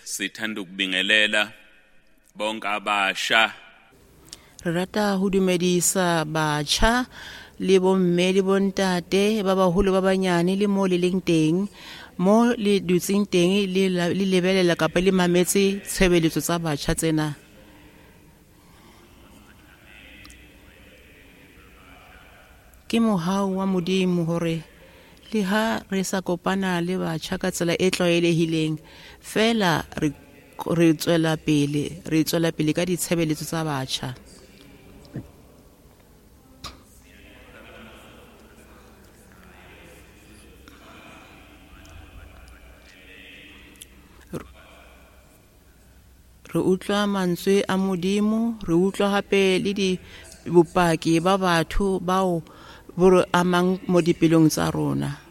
Sithanda ukubingelela bonke abasha. Re rata ho dumedisa batjha le bomme le bontate ba baholo ba banyane le mo le leng teng, mo le dutseng teng le lebelela kapa le mametse tshebeletso tsa batjha tsena. Ke mohau wa Modimo hore le ha re sa kopana le batjha ka tsela e tlwaelehileng, fela re tswela pele ka ditshebeletso tsa batjha. Re utlwa mantswe a Modimo, re utlwa hape le di bopaki ba batho bao bo re amang mo dipelong tsa rona.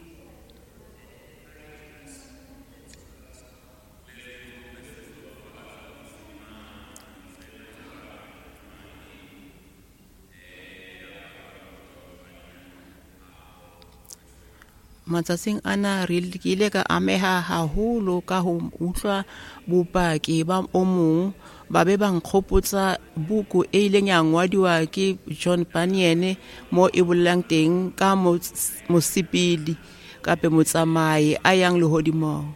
Matsatsing ana re ile ka ameha haholo ka ho utlwa bopaki ba o mong, ba be ba nkgopotsa buku e ileng ya ngwadiwa ke John Bunyan mo e bolelang teng ka mosepedi kape motsamai a yang lehodimong.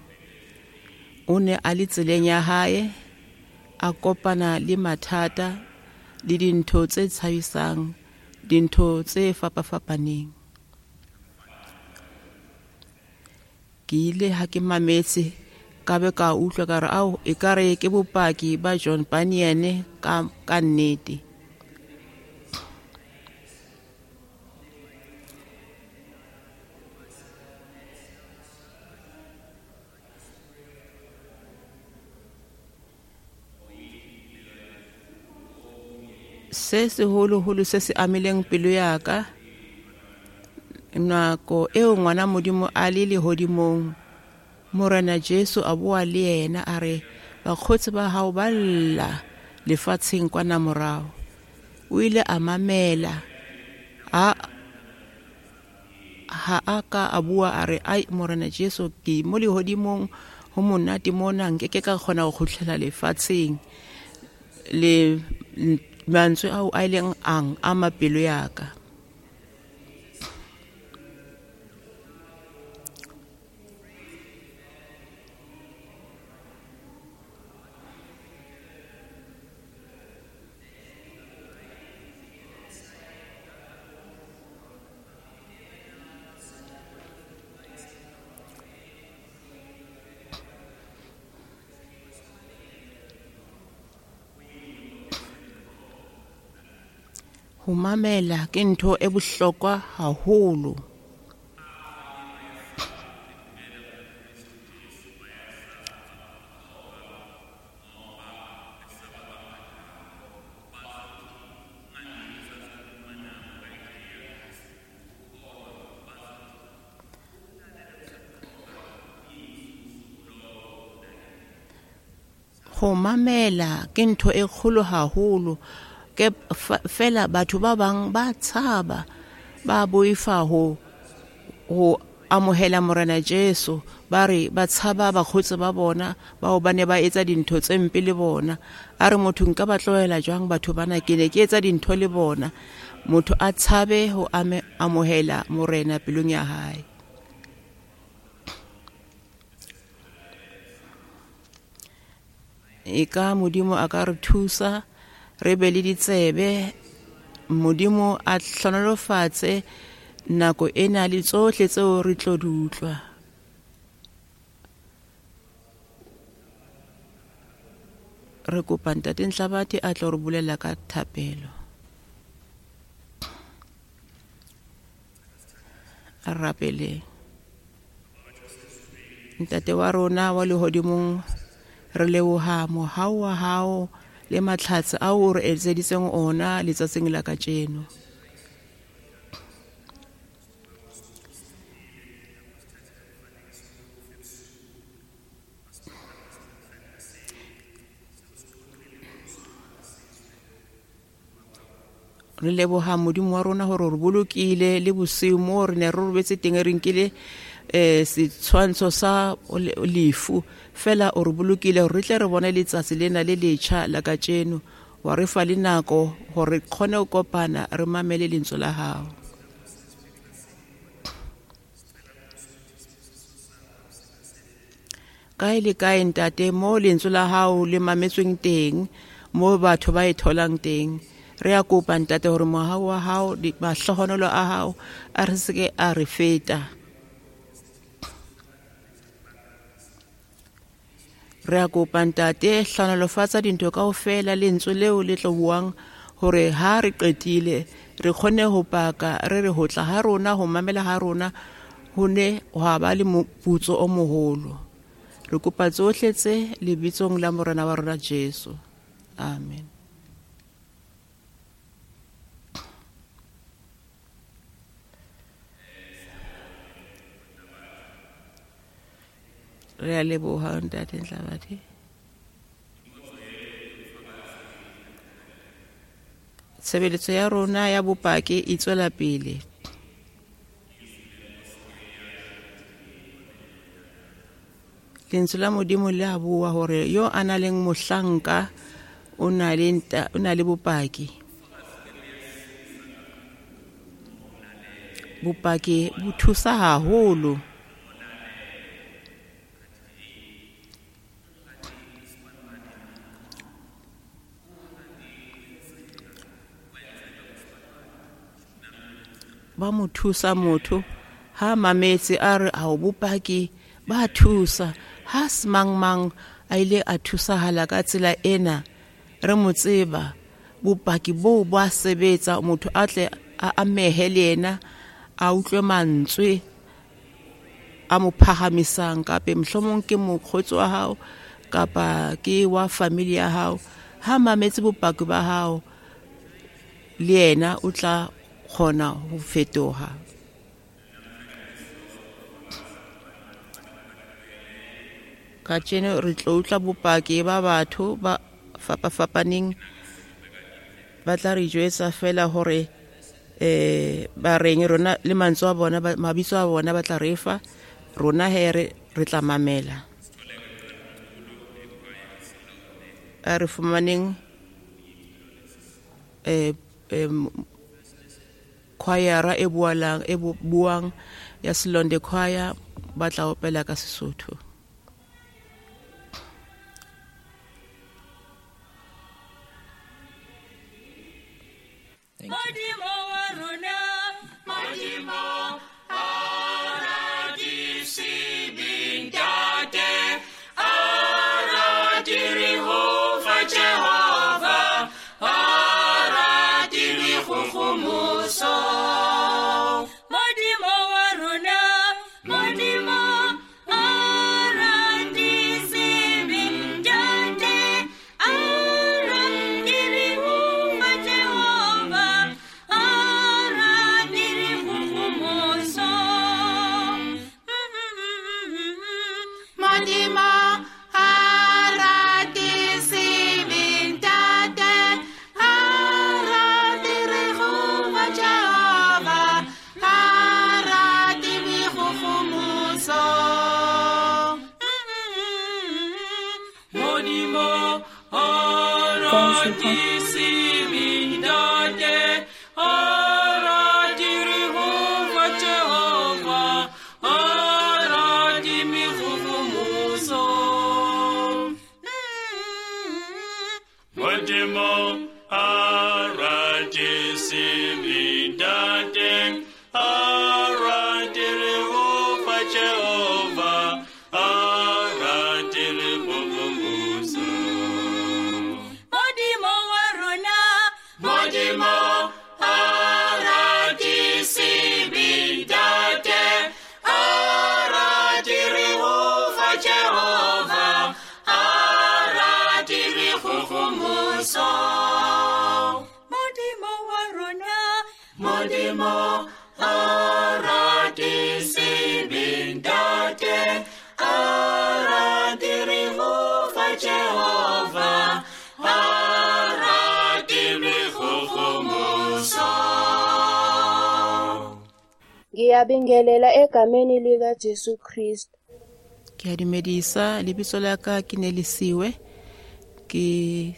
O ne a le tseleng ya hae, a kopana le mathata le dintho tse tshabisang, dintho tse fapafapaneng. Ke ile ha ke mametse ka be ka utlwa ka re ao ekare ke bopaki ba John Bunyan ka nnete. Se seholoholo se se amileng pelo ya ka nako eo ngwana Modimo a le lehodimong, Morena Jesu a bua le yena a re bakgotsi ba hao ba lla lefatsheng kwana morao. O ile a mamela, ha a ka a bua a re ai Morena Jesu ke mo lehodimong ho monate mona, nke ke ka kgona ho kgutlela lefatsheng. Le mantswe ao a ileng ang ama pelo ya ka. Ho mamela ke ntho e bohlokwa haholo. Ho mamela ke ntho e kgolo haholo. Ke fela batho ba bang ba tshaba, ba boifa ho amohela Morena Jesu, ba re ba tshaba bakgotsi ba bona bao ba ne ba etsa dintho tse mpe le bona. A re motho nka ba tlohela jwang batho bana, ke ne ke etsa dintho le bona. Motho a tshabe ho amohela Morena pelong ya hae. E ka Modimo a ka re thusa re be le ditsebe, Modimo a hlonolofatse nako ena le tsohle tseo re tlo di utlwa. Re kopa Ntate Nhlabathi a tlo re bolella ka thapelo. A rapeleng. Ntate wa rona wa lehodimong, re leboha mohau wa hao le matlhatsi ao o re etseditseng ona letsatsing la kajeno. Re leboha Modimo wa rona hore re bolokile le bosiu mo re ne re robetse teng, re nkile setshwantsho sa lefu fela o re bolokile hore re tle re bone letsatsi lena le letjha la kajeno, wa re fa le nako hore re kgone ho kopana re mamele lentswe la hao. Kae le kae ntate mo lentswe la hao le mametsweng teng, mo batho ba e tholang teng, re a kopa ntate hore mohau wa hao, mahlohonolo a hao a re seke a re feta. Re a kopa ntate, hlohonolofatsa dintho kaofela, lentswe leo le tlo buang hore ha re qetile re kgone ho paka, re re ho tla ha rona, ho mamela ha rona ho ne hwa ba le moputso o moholo. Re kopa tsohle tse lebitsong la Morena wa rona Jesu. Amen. Re a leboha ntate Ntlabadi. Tshebeletso ya rona ya bopaki e tswela pele. Lentswe la Modimo le a bua hore yo a nang le mohlanka o na le bopaki. Bopaki bo thusa haholo. Ba mo thusa motho ha mametse a re a o bopaki ba thusa ha semang mang a ile a thusahala ka tsela ena, re mo tseba bopaki bo ba sebetsa, motho a tle a amehe le yena, a utlwe mantswe a mo phahamisang, kapa mohlomong ke mokgotsi wa hao kapa ke wa family ya hao. Ha mametse bopaki ba hao le yena o tla kgona ho fetoha. Kajeno re tlo utlwa bopaki ba batho ba fapafapaneng, ba tla re jwetsa fela hore ba reng rona le mantswe a bona, mabitso a bona ba tla re fa rona, he re tla mamela. A re fumaneng choir e buang ya Selonde Choir, ba tla opela ka Sesotho. Thank you. Jehovah, Ngiyabingelela egameni likaJesu Kristu. Ke a dumedisa, lebitso la ka ke Nelisiwe, ke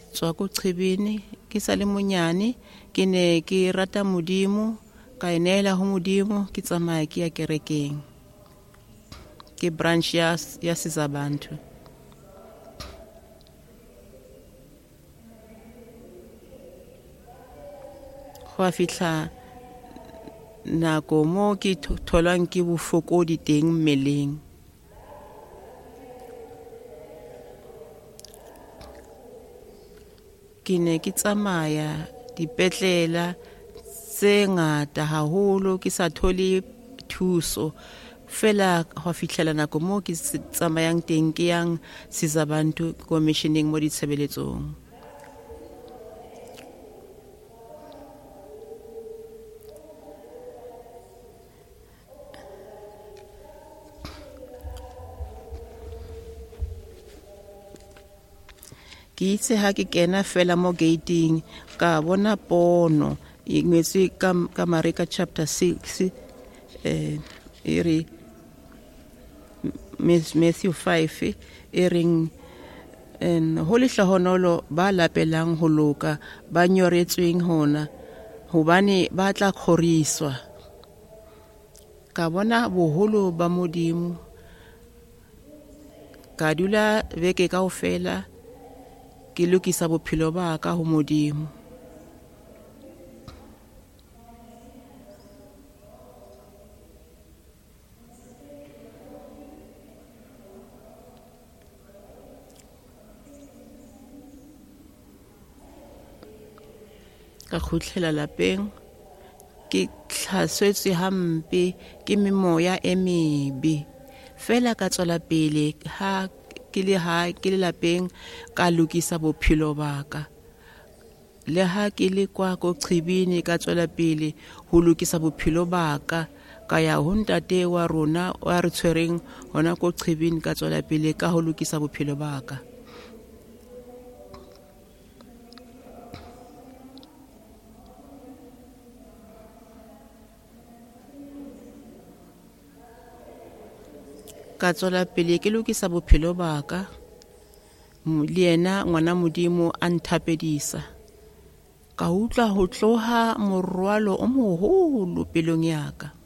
tswa ko Qhibini, ke sa le monyane, ke ne ke rata Modimo, ka ineela ho Modimo, ke tsamaya ke ya kerekeng. Ke branch ya Sizabantu. Go a fihla nako mo ke tholwang ke bofokodi teng mmeleng. Ke ne ke tsamaya dipetlela tse ngata haholo, ke sa thole thuso. Fela go fihlela nako mo ke tsamayang teng, ke yang Sizabantu commissioning mo ditshebeletsong. Ke itse ha ke kena fela mo gating, ka bona pono e ngwetswe ka Mareka chapter 6, e re Matthew 5, e reng ho lehlohonolo ba lapelang ho loka, ba nyoretsweng hona, hobane ba tla kgoriswa. Ka bona boholo ba Modimo, ka dula beke kaofela ke lokisa bophelo ba ka ho Modimo. Ka kgutlela lapeng, ke tlhasetswe hampe ke memoya e mebe. Fela ka tswela pele ha ke le ha ke le lapeng, ka lokisa bophelo ba ka. Le ha ke le kwa ko Qhibini, ka tswela pele ho lokisa bophelo ba ka. Ka ya ho ntate wa rona wa re tshwereng hona ko Qhibini, ka tswela pele ka ho lokisa bophelo ba ka. Ka tswela pele ke lokisa bophelo ba ka, le yena ngwana Modimo a nthapedisa. Ka utlwa ho tloha morwalo o moholo pelong ya ka.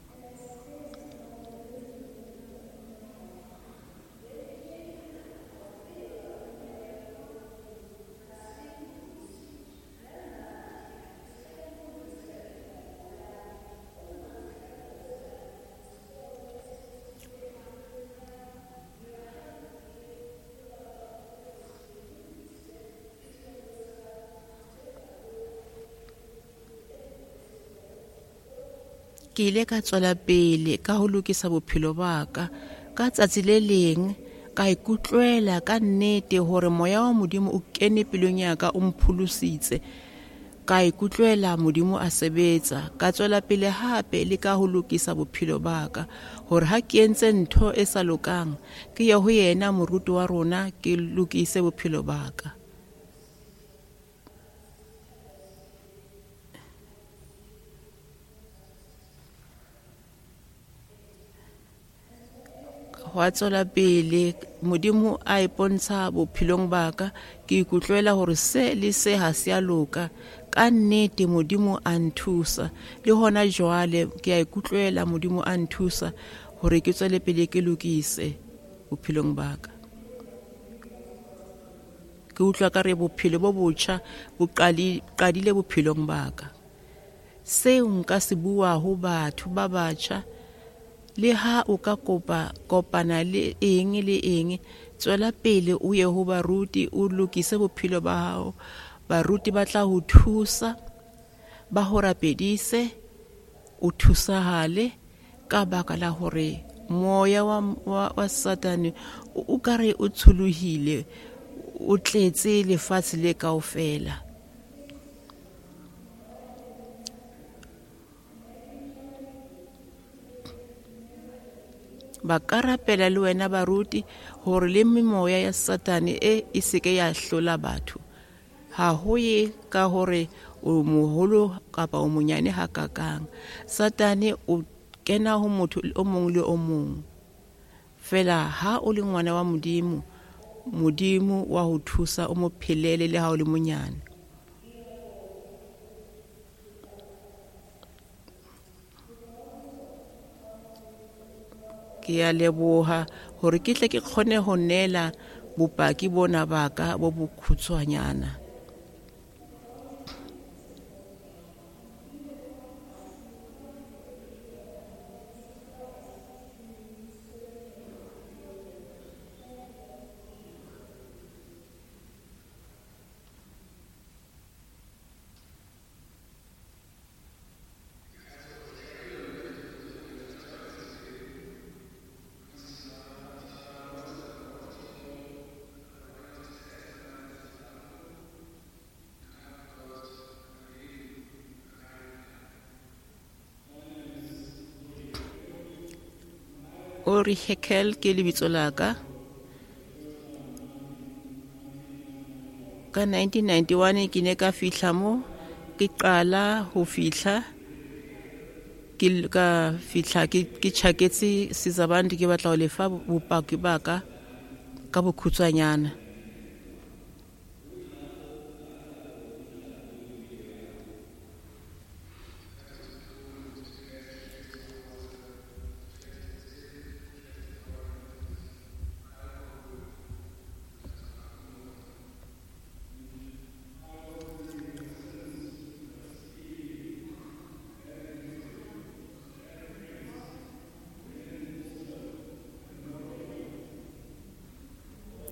Ke ile ka tswela pele ka ho lokisa bophelo ba ka. Ka tsatsi le leng ka ikutlwela ka nnete hore moya wa Modimo o kene pelong ya ka, o mpholositse. Ka ikutlwela Modimo a sebetsa. Ka tswela pele hape le ka ho lokisa bophelo ba ka, hore ha ke entse ntho e sa lokang, ke ye ho yena moruti wa rona, ke lokise bophelo ba ka. Hwa tswela pele Modimo a ipontsha bophelong ba ka, ke ikutlwela hore se le se ha se a loka. Ka nnete Modimo a nthusa, le hona jwale ke a ikutlwela Modimo a nthusa hore ke tswele pele ke lokise bophelong ba ka. Ke utlwa ka re bophelo bo botjha bo qadile bophelong ba ka. Seo nka se bua ho batho ba batjha, le ha o ka kopana le eng le eng, tswela pele o ye ho baruti, o lokise bophelo ba hao. Baruti ba tla ho thusa, ba ho rapedise, o thusahale, ka baka la hore moya wa Satane o ka re o tsholohile, o tletse lefatshe le kaofela. Ba ka rapela le wena baruti hore le memoya ya Satane e seke ya hlola batho. Ha ho ye ka hore o moholo kapa o monyane hakakang. Satane o kena ho motho o mong le o mong. Fela ha o le ngwana wa Modimo, Modimo wa ho thusa o mo phelele le ha o le monyane. Ke a leboha hore ke tle ke kgone ho neela bopaki bona ba ka bo bokhutshwanyana. Ori Hekel ke lebitso la ka. Ka 1991 ke ne ka fihla mo, ke qala ho fihla, ke ka fihla ke tjhaketse Sizabantu, ke batla ho lefa bopaki ba ka ka bokhutshwanyana.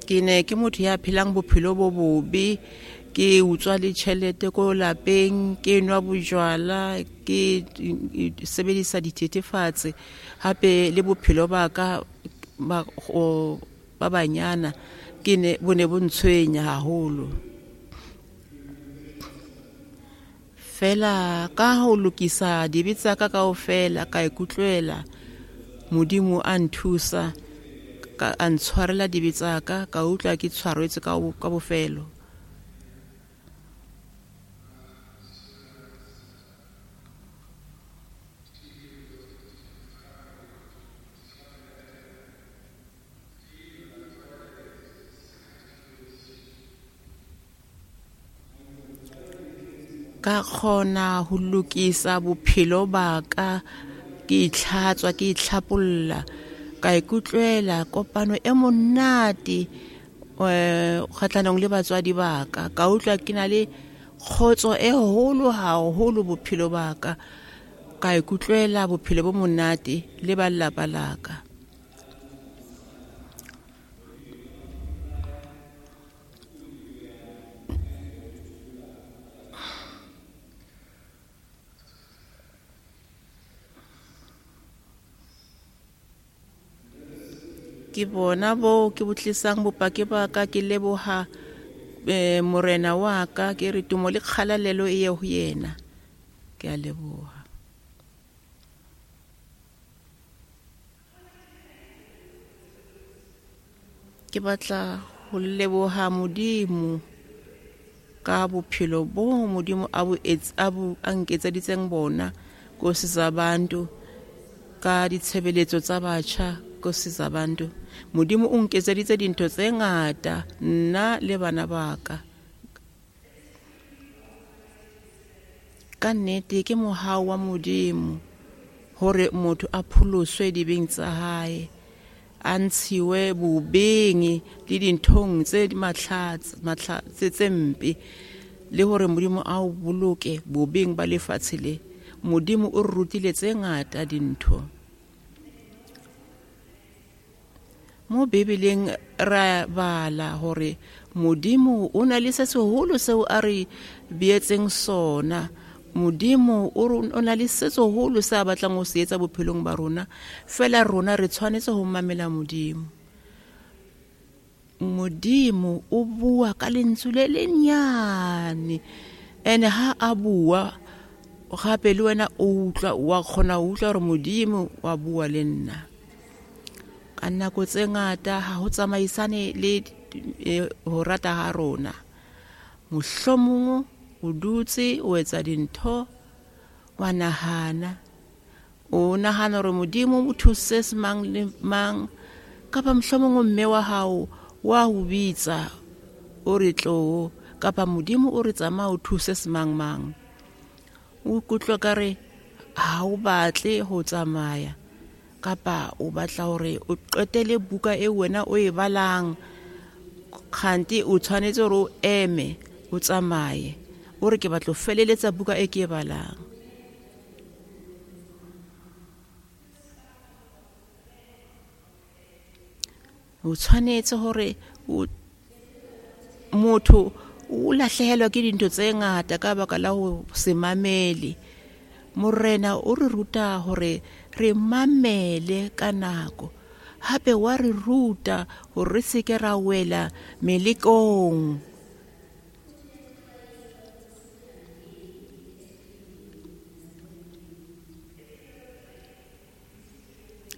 Ke ne ke motho ya phelang bophelo bo bobe, ke utswa le tjhelete ko lapeng, ke nwa bojwala, ke sebedisa dithethefatsi, hape le bophelo ba ka ba banyana ke ne bo ne bo ntshwenya haholo. Fela ka ho lokisa dibe tsa ka kaofela, ka ikutlwela Modimo a nthusa, ka a ntshwarela dibe tsa ka, ka utlwa ke tshwaretswe ka bofelo. Ka kgona ho lokisa bophelo ba ka, ke itlhatswa, ke itlhapolla, ka ikutlwela kopano e monate kgahlanong le batswadi ba ka. Ka utlwa ke na le kgotso e holo haholo bophelo ba ka, ka ikutlwela bophelo bo monate le ba lelapa la ka. Ke bona bo ke botlisang bopaki ba ka, ke leboha Morena wa ka, ke re tumo le kgalalelo e ye ho yena. Ke a leboha. Ke batla ho leboha Modimo ka bophelo bo Modimo a bo a nketseditseng bona ko Sizabantu, ka ditshebeletso tsa batjha ko Sizabantu. Modimo o nketseditse dintho tse ngata nna le bana ba ka. Ka nnete ke mohau wa Modimo hore motho a pholoswe dibeng tsa hae, a ntshiwe bobeng le dinthong tse tse mpe, le hore Modimo a o boloke bobeng ba lefatshe le. Modimo o re rutile tse ngata dintho. Mo Bibeleng ra bala hore Modimo o na le se seholo seo a re beetseng sona. Modimo o na le se seholo se a batlang ho se etsa bophelong ba rona, fela rona re tshwanetse ho mamela Modimo. Modimo o bua ka lentswe le lenyane, ene ha a bua gape le wena o utlwa, wa kgona ho utlwa hore Modimo wa bua le nna. Ka nako tse ngata ha ho tsamaisane le ho rata ha rona. Mohlomong o dutse o etsa dintho, wa nahana, O nahana hore Modimo o thuse se mang le mang, kapa mohlomong mme wa hao wa ho bitsa o re tlo, kapa Modimo o re tsamaya o thuse se mang mang. O ikutlwa ka re ha o batle ho tsamaya, kapa o batla hore o qetele buka e wena o e balang, kgante o tshwanetse hore o eme o tsamaye, o re ke batla ho feleletsa buka e ke e balang. O tshwanetse hore motho o lahlehelwa ke dintho tse ngata ka baka la ho se mamele. Morena o re ruta hore re mamele ka nako, hape wa re ruta hore re se ke ra wela melekong.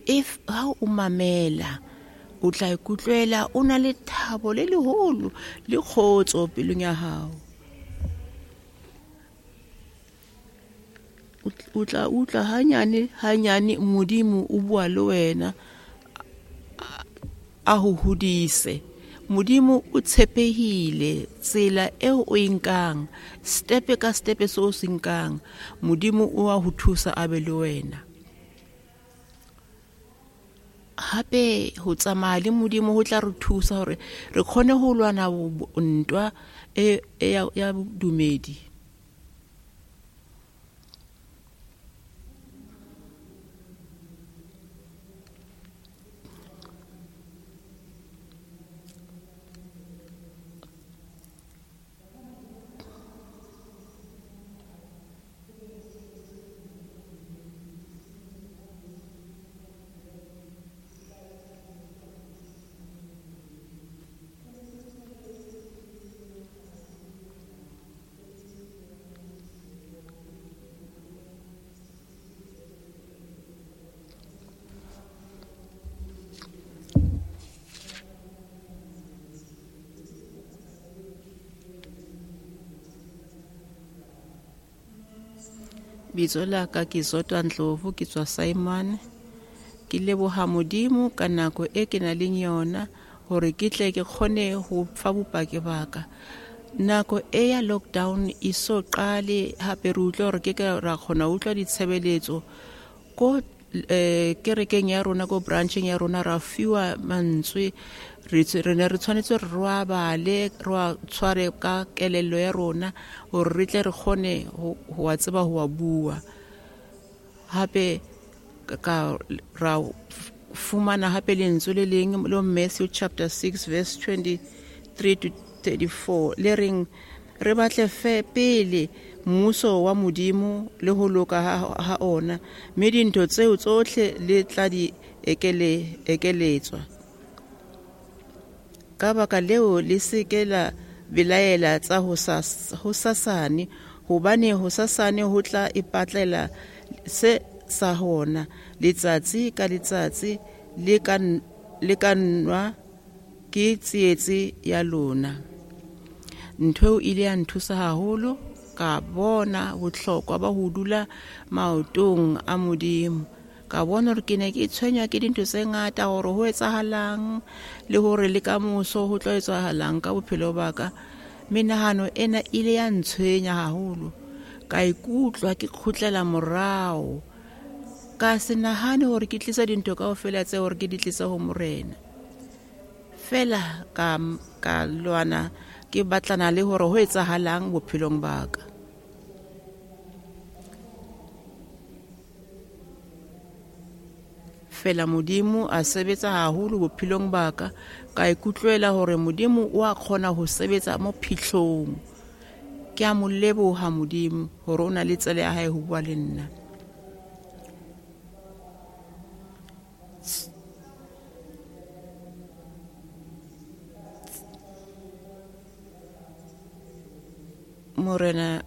If ha o mamela, o tla ikutlwela o na le thabo le leholo le kgotso pelong ya hao. O tla utlwa hanyane hanyane Modimo o bua le wena, a ho hodise. Modimo o tshepehile tsela eo o e nkang, step ka step seo o se nkang, Modimo o a ho thusa a be le wena. Hape ho tsamaya le Modimo ho tla re thusa hore re kgone ho lwana ntwa e ya bodumedi. Bitso la ka ke Zodwa Ndlovu, ke tswa Simon. Ke leboha Modimo ka nako e ke nang le yona hore ke tle ke kgone ho fa bopaki ba ka. Nako e ya lockdown e so qale, hape re utlwa hore ke ka ra kgona ho utlwa ditshebeletso ko kerekeng ya rona, ko brancheng ya rona, ra fiwa mantswe. Re ne re tshwanetse re wa bale, re wa tshware ka kelello ya rona hore re tle re kgone ho wa tseba ho wa bua. Hape ka ra fumana hape lentswe le leng lo Matthew chapter 6 verse 23 to 34 le reng re batle fe pele mmuso wa Modimo le ho loka ha ona, mme dintho tseo tsohle le tla di ekeletswa. Ka baka leo le se ke la belaela tsa hosasane, hobane hosasane ho tla ipatlela se sa hona. Letsatsi ka letsatsi le ka nwa ke tsietsi ya lona. Ntho eo ile ya nthusa haholo, ka bona bohlokwa ba ho dula maotong a Modimo. Ka bona hore ke ne ke tshwenywa ke dintho tse ngata hore ho etsahalang le hore le ka moso ho tlo etsahalang ka bophelo ba ka. Menahano ena ile ya ntshwenya haholo, ka ikutlwa ke kgutlela morao, ka se nahane hore ke tlisa dintho kaofela tse hore ke di tlise ho Morena. Fela ka lwana ke batlana le hore ho etsahalang bophelong ba ka. Fela Modimo a sebetsa haholo bophelong ba ka, ka ikutlwela hore Modimo o a kgona ho sebetsa mo phihlong. Ke a mo leboha Modimo hore o na le tsela ya hae ho bua le nna. Morena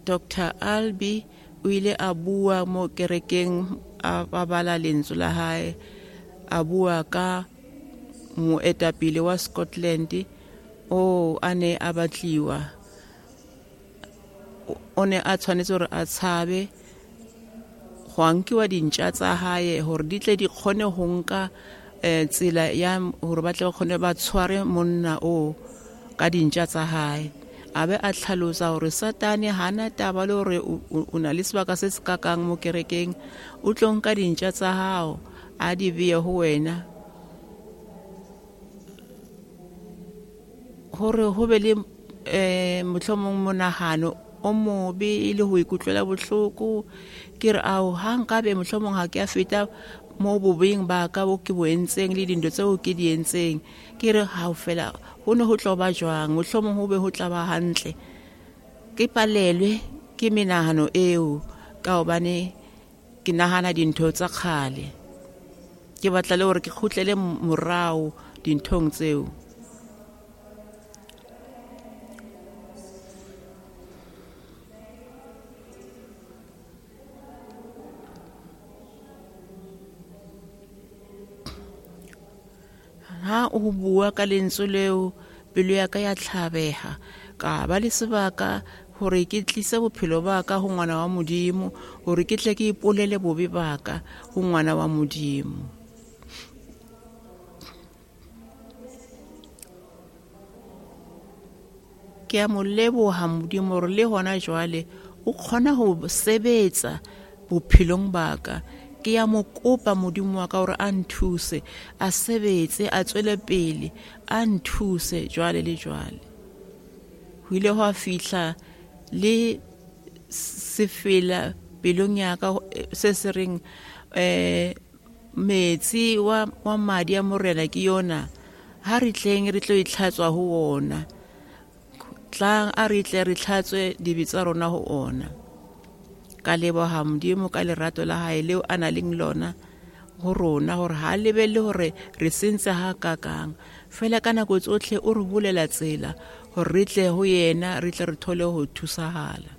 Dr. Albi o ile a bua mo kerekeng, a bala lentswe la hae, a bua ka moetapele wa Scotland o a ne a batliwa, o ne a tshwanetse hore a tshabe Gwa nkiwa dintja tsa hae hore di tle di kgone ho nka tsela ya hore ba tle ba kgone ba tshware monna o ka dintja tsa hae. A be a tlhalosa hore Satane hana taba le hore o na le sebaka se se kakang mo kerekeng, o tlo nka dintja tsa hao a di beye ho wena hore ho be le mohlomong monahano o mobe le ho ikutlwela bohloko. Ke re ao ha nkabe mohlomong ha ke a feta mo bobeng ba ka bo ke bo entseng le dintho tseo ke di entseng, ke re ha o fela ho ne ho tlo ba jwang, mohlomong ho be ho tla ba hantle. Ke palelwe ke menahano eo ka hobane ke nahana dintho tsa kgale, ke batla le hore ke kgutlele morao dinthong tseo. Ha o bua ka lentswe leo, pelo ya ka ya tlhabeha, ka ba le sebaka hore ke tlise bophelo ba ka ho ngwana wa Modimo, hore ke tle ke ipolele bobe ba ka ho ngwana wa Modimo. Ke a mo leboha Modimo hore le hona jwale o kgona ho sebetsa bophelong ba ka. Ke ya mo kopa Modimo wa ka hore a nthuse, a sebetse, a tswele pele, a nthuse jwale le jwale. Ho ile hwa fihla le sefela pelong ya ka se se reng metsi wa madi a Morena ke yona, ha re tleng re tlo itlhatswa ho ona, tlang a re tle re tlhatswe dibe tsa rona ho ona. Ka leboha Modimo ka lerato la hae leo a nang le lona ho rona, hore ha lebelle hore re sentse ha kakang, fela ka nako tsohle o re bulela tsela hore re tle ho yena, re tle re thole ho thusahala.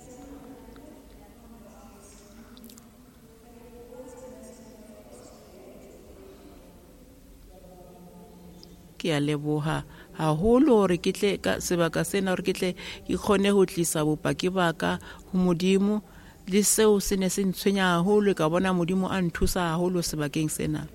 Ke a leboha haholo hore ke tle ka sebaka sena, hore ke tle ke kgone ho tlisa bopaki ba ka ho Modimo. Le seo se ne se ntshwenya haholo, ka bona Modimo a nthusa haholo sebakeng sena.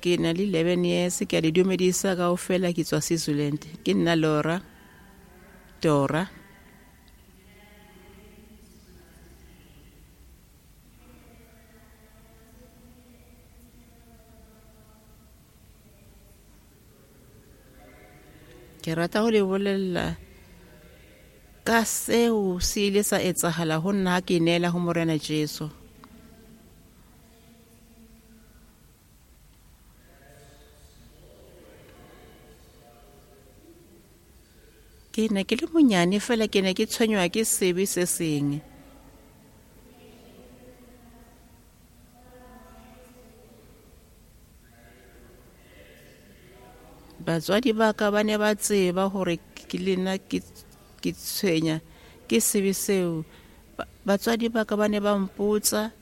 Ke na le 11 years, ke a le dumedisa kaofela, ke tswa Switzerland. Ke nna Laura Dora. Ke rata ho le bolella ka seo se ile sa etsahala ho nna ha ke neela ho Morena Jesu. Ke ne ke le monyane fela, ke ne ke tshwenywa ke sebe se seng. Batswadi ba ka ba ne ba tseba hore ke le nna ke tshwenya ke sebe seo. Batswadi ba ka ba ne ba mpotsa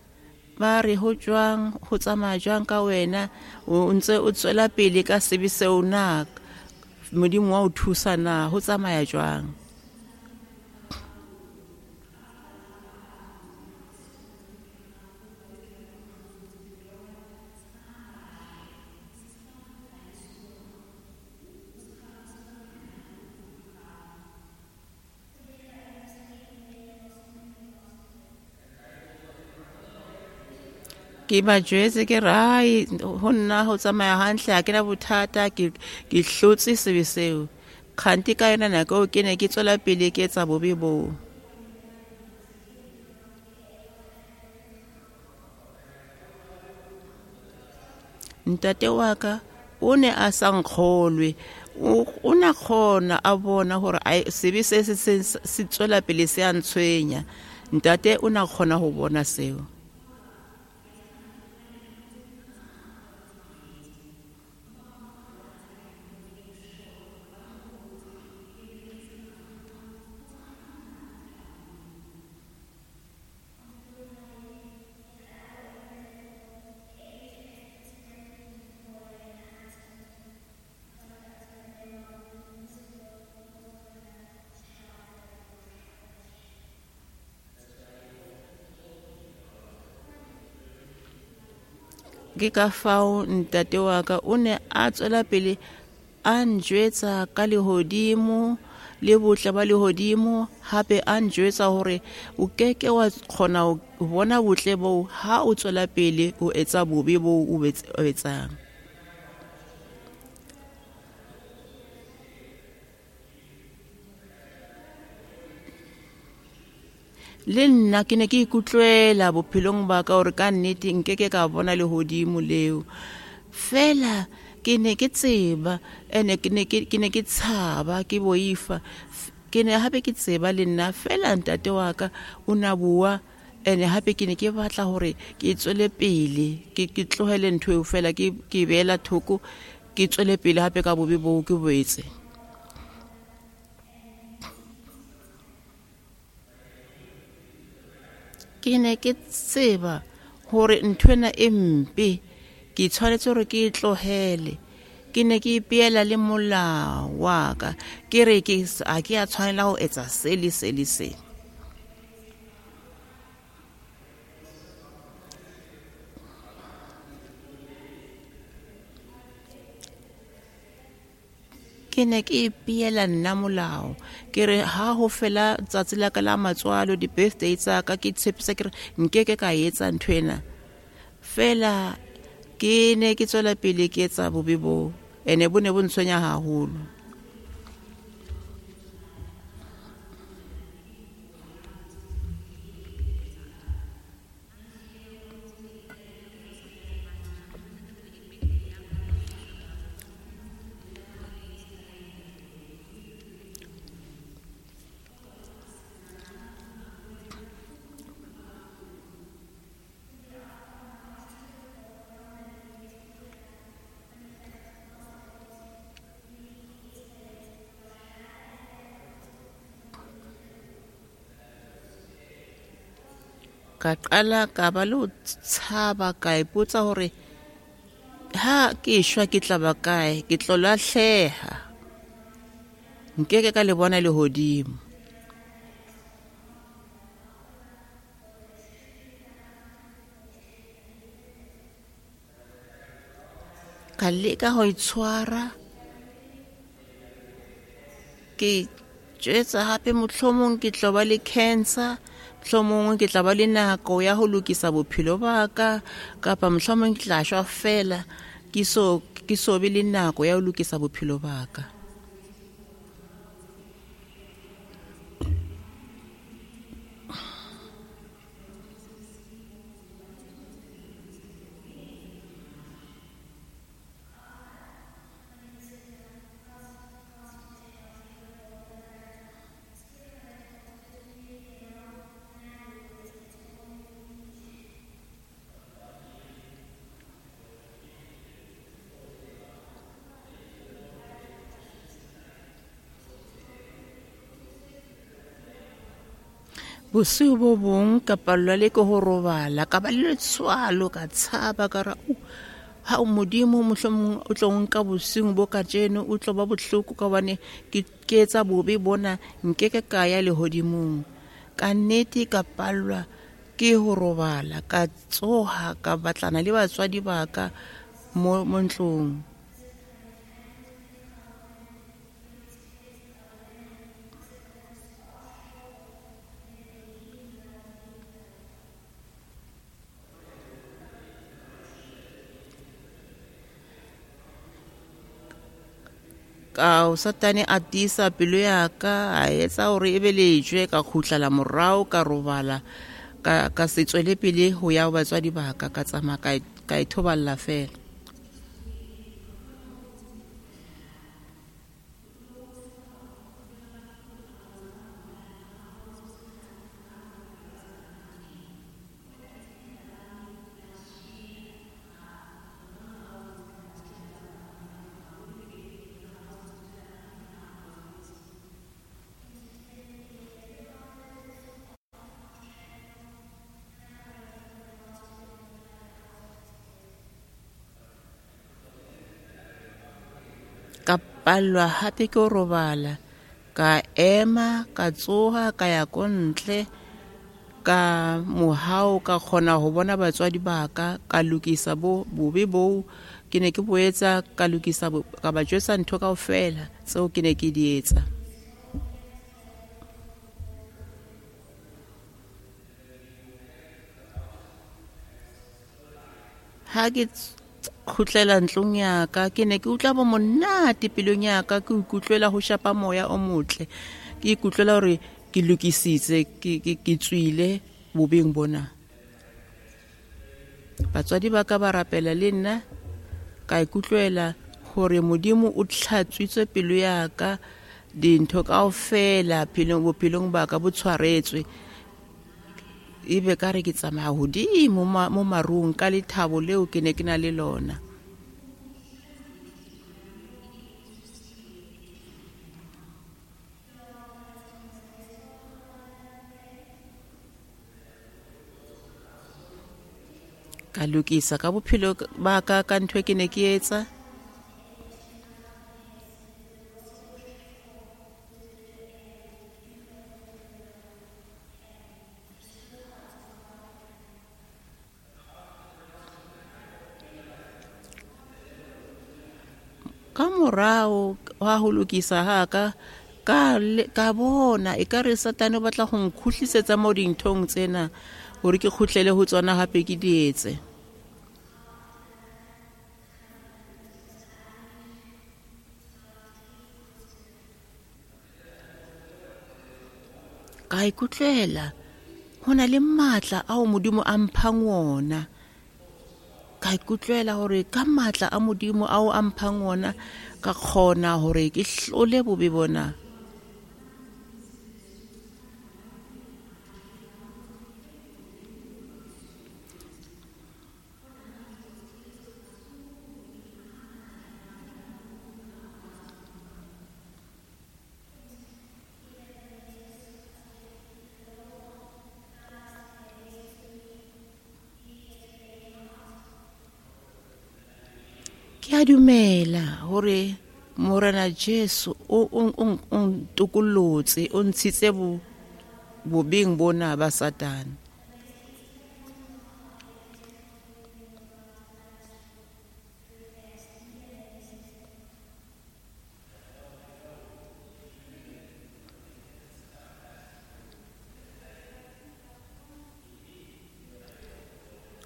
ba re ho jwang, ho tsamaya jwang ka wena, o ntse o tswela pele ka sebe seo na, Modimo wa o thusa na, ho tsamaya jwang? Ke ba jwetse ke re ai ho nna ho tsamaya hantle, ha ke na bothata, ke hlotse sebe seo. Kganti ka yona nako ke ne ke tswela pele ke etsa bobe boo. Ntate wa ka o ne a sa nkgolwe, o na kgona a bona hore sebe se se tswela pele se a ntshwenya. Ntate o na kgona ho bona seo. Ke ka fao ntate wa ka o ne a tswela pele a njwetsa ka lehodimo le botle ba lehodimo, hape a njwetsa hore o keke wa kgona ho bona botle boo ha o tswela pele o etsa bobe boo o etsang. Le nna ke ne ke ikutlwela bophelong ba ka hore ka nnete nkeke ka bona lehodimo leo. Fela ke ne ke tseba ene ke ne ke tshaba, ke boifa. Ke ne hape ke tseba le nna fela ntate wa ka o na bua, ene hape ke ne ke batla hore ke tswele pele, ke tlohele ntho eo fela, ke beela thoko, ke tswele pele hape ka bobe boo ke bo etse. Ke ne ke tseba hore nthwena e mpe, ke tshwanetse hore ke e tlohele. Ke ne ke ipeela le molao wa ka, ke re ke ha ke a tshwanela ho etsa se le se le se. Ke ne ke ipeela nna molao, ke re ha ho fela tsatsi la ka la matswalo, di-birthday tsa ka, ke tshepisa ke re nkeke ka etsa nthwena. Fela ke ne ke tswela pele ke etsa bobe boo, ene bo ne bo ntshwenya haholo. Ka qala ka ba le ho tshaba, ka ipotsa hore ha ke shwa ke tla ba kae, ke tlo lahleha, nkeke ka le bona lehodimo. Ka leka ho itshwara, ke jwetsa hape mohlomong ke tlo ba le cancer, mohlomong ke tla ba le nako ya ho lokisa bophelo ba ka, kapa mohlomong ke tla shwa fela ke so be le nako ya ho lokisa bophelo ba ka. Bosiu bo bong ka pallwa le ke ho robala, ka ba le letswalo, ka tshaba, ka ra ha o Modimo mohlomong o tlo nka bosiung bo kajeno, o tlo ba bohloko ka hobane ke etsa bobe bona, nkeke ka ya lehodimong. Ka nnete ka pallwa ke ho robala, ka tsoha, ka batlana le batswadi ba ka mo ntlong. Ka Satane a tiisa pelo ya ka, a etsa hore e be lejwe, ka kgutlela morao, ka robala, ka se tswele pele ho ya ho batswadi ba ka, ka tsamaya ka ithoballa fela. Ka pallwa hape ke ho robala, ka ema, ka tsoha, ka ya ko ntle, Ka mohau ka kgona ho bona batswadi ba ka, ka lokisa bo bobe boo ke ne ke bo etsa, ka lokisa ka ba jwetsa ntho kaofela tseo ke ne ke di etsa. Ha ke kgutlela ntlong ya ka, ke ne ke utlwa bo monate pelong ya ka, ke ikutlwela ho shapa moya o motle, ke ikutlwela hore ke lokisitse, ke tswile bobeng bona. Batswadi ba ka ba rapela le nna, ka ikutlwela hore Modimo o tlhatswitse pelo ya ka, dintho kaofela bophelong ba ka bo tshwaretswe. Ebe ka re ke tsamaya hodimo mo marung ka lethabo leo ke ne ke na le lona. Ka lokisa ka bophelo ba ka ka ntho e ke ne ke etsa. Ka morao wa ho lokisa ha ka ka bona ekare Satane o batla ho nkgutlisetsa mo dinthong tsena hore ke kgutlele ho tsona hape ke di etse. Ka ikutlwela ho na le matla ao Modimo a mphang wona. Ka ikutlwela hore ka matla a Modimo ao a mphang wona ka kgona hore ke hlole bobe bona. Ke a dumela hore Morena Jesu o ntokollotse, o ntshitse bobeng bona ba Satane.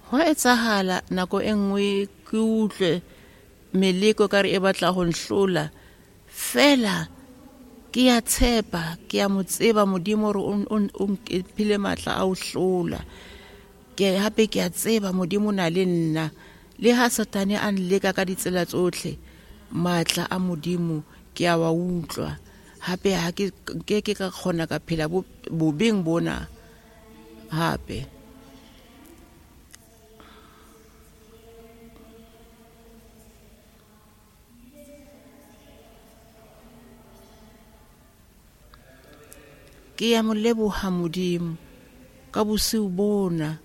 Ho etsahala nako e nngwe ke utlwe meleko ka re e batla ho nhlola, fela ke ya tshepa, ke ya mo tseba Modimo hore o mphile matla a ho hlola. Ke hape ke a tseba Modimo o na le nna, le ha Satane a nleka ka ditsela tsohle, matla a Modimo ke a wa utlwa. Hape ha ke ke ka kgona ka phela bobeng bona hape. Ke ya mo leboha Modimo ka bosiu bona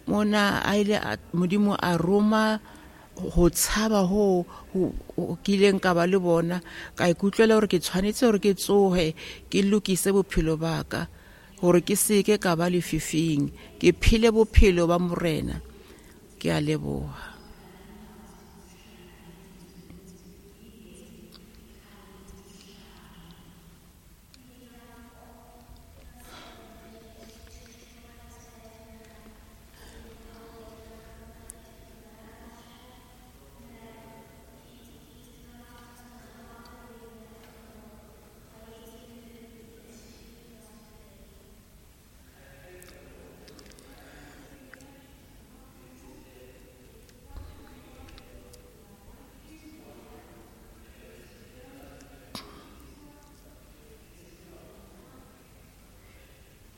mona a ile Modimo a roma ho tshaba ho kileng ka ba le bona, ka ikutlwela hore ke tshwanetse hore ke tsohe ke lokise bophelo ba ka hore ke seke ka ba lefifing, ke phele bophelo ba Morena. Ke a leboha.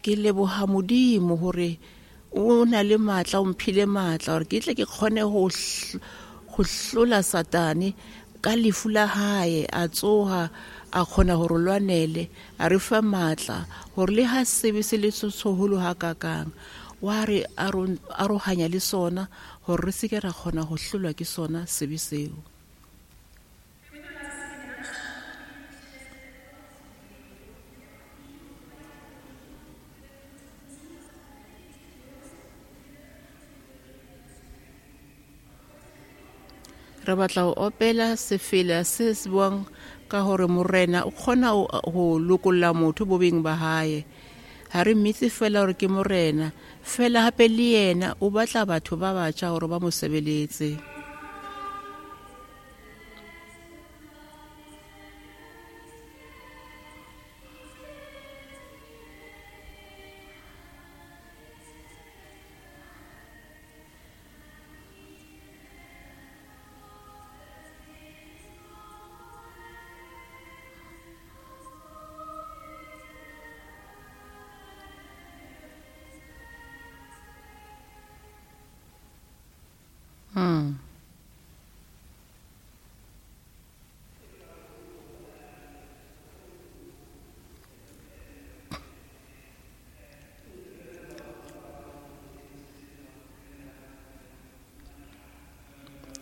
Ke leboha Modimo hore o na le matla, o mphile matla hore ke tle ke kgone ho hlola Satane ka lefu la hae. A tsoha a kgona hore lwanele, a re fa matla hore le ha sebe se le seholo hakakang, wa re arohanya le sona hore re se ke ra kgona ho hlolwa ke sona sebe seo. Re batla ho opela sefela se se buang ka hore morena o kgona ho lokolla motho bobeng ba hae. Ha re mmitse fela hore ke morena, fela hape le yena o batla batho ba batjha hore ba mo sebeletse.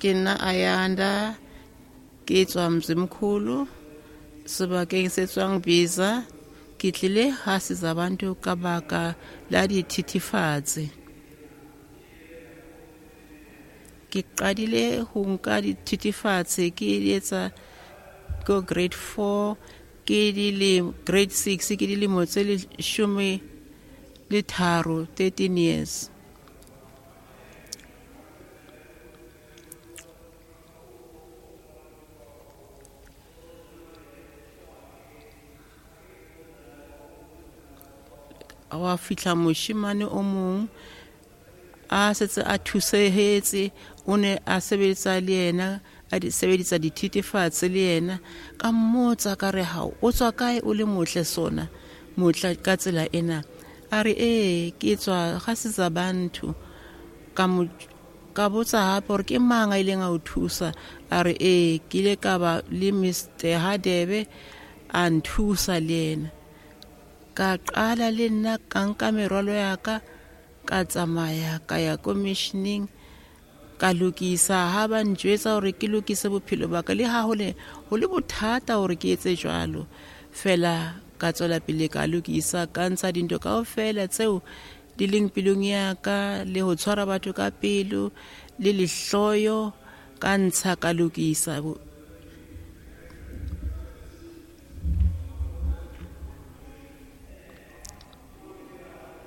Ke nna Ayanda, ke tswa Mzimkhulu, sebakeng se tswang Biza. Ke tlile ha Sizabantu ka baka la dithethefatsi. Ke qadile ho nka dithethefatsi ke etsa ko grade 4, ke dile grade 6, ke dilemo tse 13, 13 years. Wa fihla moshemane o mong a setse a thusehetse, o ne a sebetsa le yena, a di sebedisa dithethefatsi le yena. Ka mmotsa ka re, hao o tswa kae o le motle sona motle ka tsela ena? A re, ee, ke tswa ga Sizabantu. Ka botsa hape hore ke mang a ileng a o thusa? A re, ee, ke ile ka ba le Mr Hadebe a nthusa le yena. Ka qala le nna ka nka merwalo ya ka, ka tsamaya ka ya commissioning, ka lokisa. Ha ba njwetsa hore ke lokise bophelo ba ka, le ha ho le bothata hore ke etse jwalo, fela ka tswela pele ka lokisa, ka ntsha dintho kaofela tseo di leng pelong ya ka, le ho tshwara batho ka pelo le lehloyo, ka ntsha ka lokisa.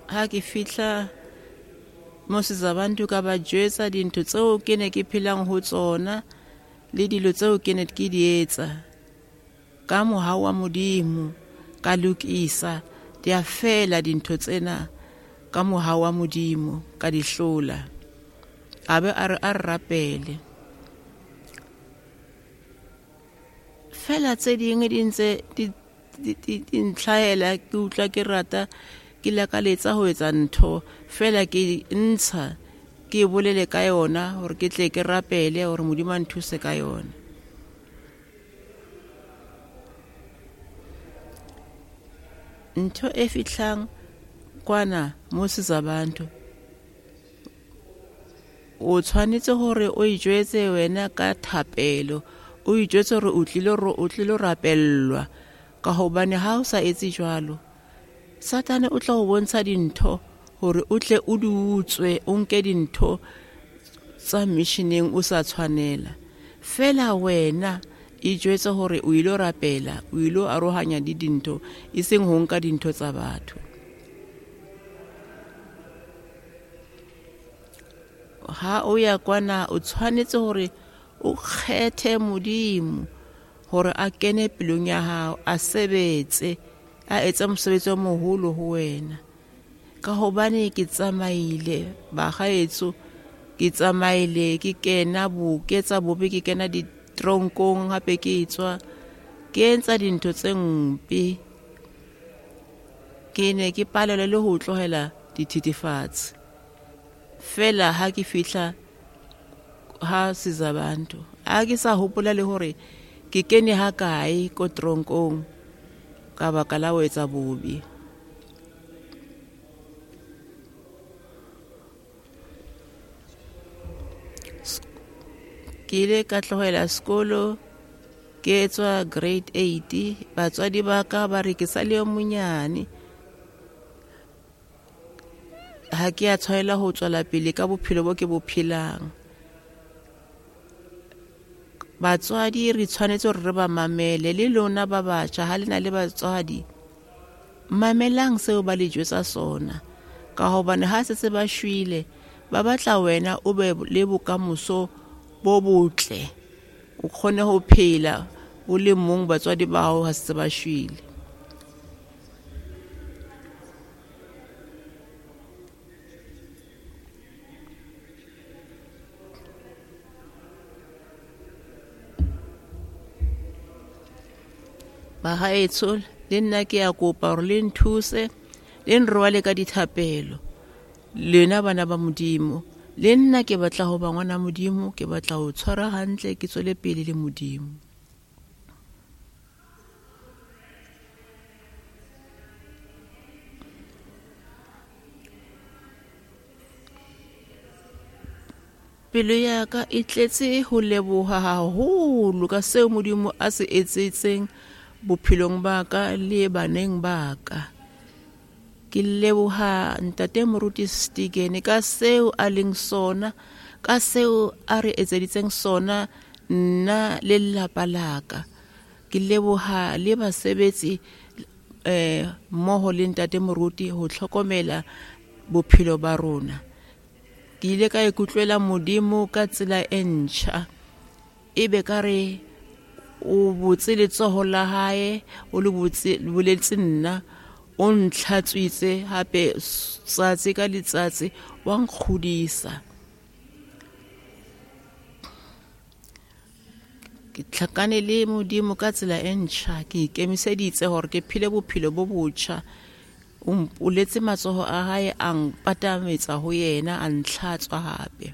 Ha ke fihla mo Sizabantu ka ba jwetsa dintho tseo ke ne ke phelang ho tsona le dilo tseo ke ne ke di etsa. Ka mohau wa Modimo ka lokisa, di a fela dintho tsena ka mohau wa Modimo, ka di hlola. A be a re a re rapele. Fela tse dingwe di ntse di ntlhahela, ke utlwa ke rata, ke lakaletsa ho etsa ntho, fela ke ntsha ke bolele ka yona hore ke tle ke rapele hore Modimo a nthuse ka yona. Ntho e fihlang kwana mo Sizabantu, o tshwanetse hore o ijwetse wena ka thapelo, o ijwetse hore o tlilo rapellwa, ka hobane ha o sa etse jwalo, Satane o tla o bontsha dintho hore o tle o di utswe, o nke dintho tsa missioneng o sa tshwanela. Fela wena ijwetse hore o ilo rapela, o ilo arohanya di dintho, e seng ho nka dintho tsa batho. Ha o ya kwana o tshwanetse hore o kgethe Modimo hore a kene pelong ya hao, a sebetse, a etsa mosebetsi o moholo ho wena. Ka hobane ke tsamaile bagaetso, ke tsamaile ke kena ke etsa bobe, ke kena ditronkong, hape ke tswa ke entsa dintho tse mpe. Ke ne ke palelwa le ho tlohela dithethefatsi. Fela ha ke fihla ha Sizabantu, ha ke sa hopola le hore ke kene ha kae ko tronkong ka baka la ho etsa bobe. Ke ile ka tlohela sekolo ke etswa grade 8. Batswadi ba ka ba re ke sa le yo monyane, ha ke a tshwanela ho tswela pele ka bophelo bo ke bo phelang. Batswadi re tshwanetse hore re ba mamele, le lona ba batjha ha le na le batswadi, mamelang seo ba le jwetsa sona, ka hobane ha se se ba shwele, ba batla wena o be le bokamoso bo botle, o kgone ho phela o le mong batswadi ba hao ha se ba shwele. Bahaetsho, le nna ke a kopa hore le nthuse, le nrwale ka dithapelo. Lena bana ba Modimo, le nna ke batla ho ba ngwana Modimo, ke batla ho tshwara hantle, ke tswele pele le Modimo. Pelo ya ka e tletse ho leboha haholo ka seo Modimo a se etsetseng bophelong ba ka le baneng ba ka. Ke leboha Ntate Moruti Stikene ka seo a leng sona, ka seo a re etseditseng sona nna le lelapa la ka. Ke leboha le basebetsi mmoho le Ntate Moruti ho hlokomela bophelo ba rona. Ke ile ka ikutlwela Modimo ka tsela e ntjha, ebe ka re o botse letsoho la hae, o le botse boletse nna, o ntlhatswitse hape tsatsi ka letsatsi, wa nkgodisa. Ke tlhakane le Modimo ka tsela e ntjha, ke ikemiseditse hore ke phele bophelo bo botjha. O mpoletse matsoho a hae, a mpatametsa ho yena, a ntlhatswa hape.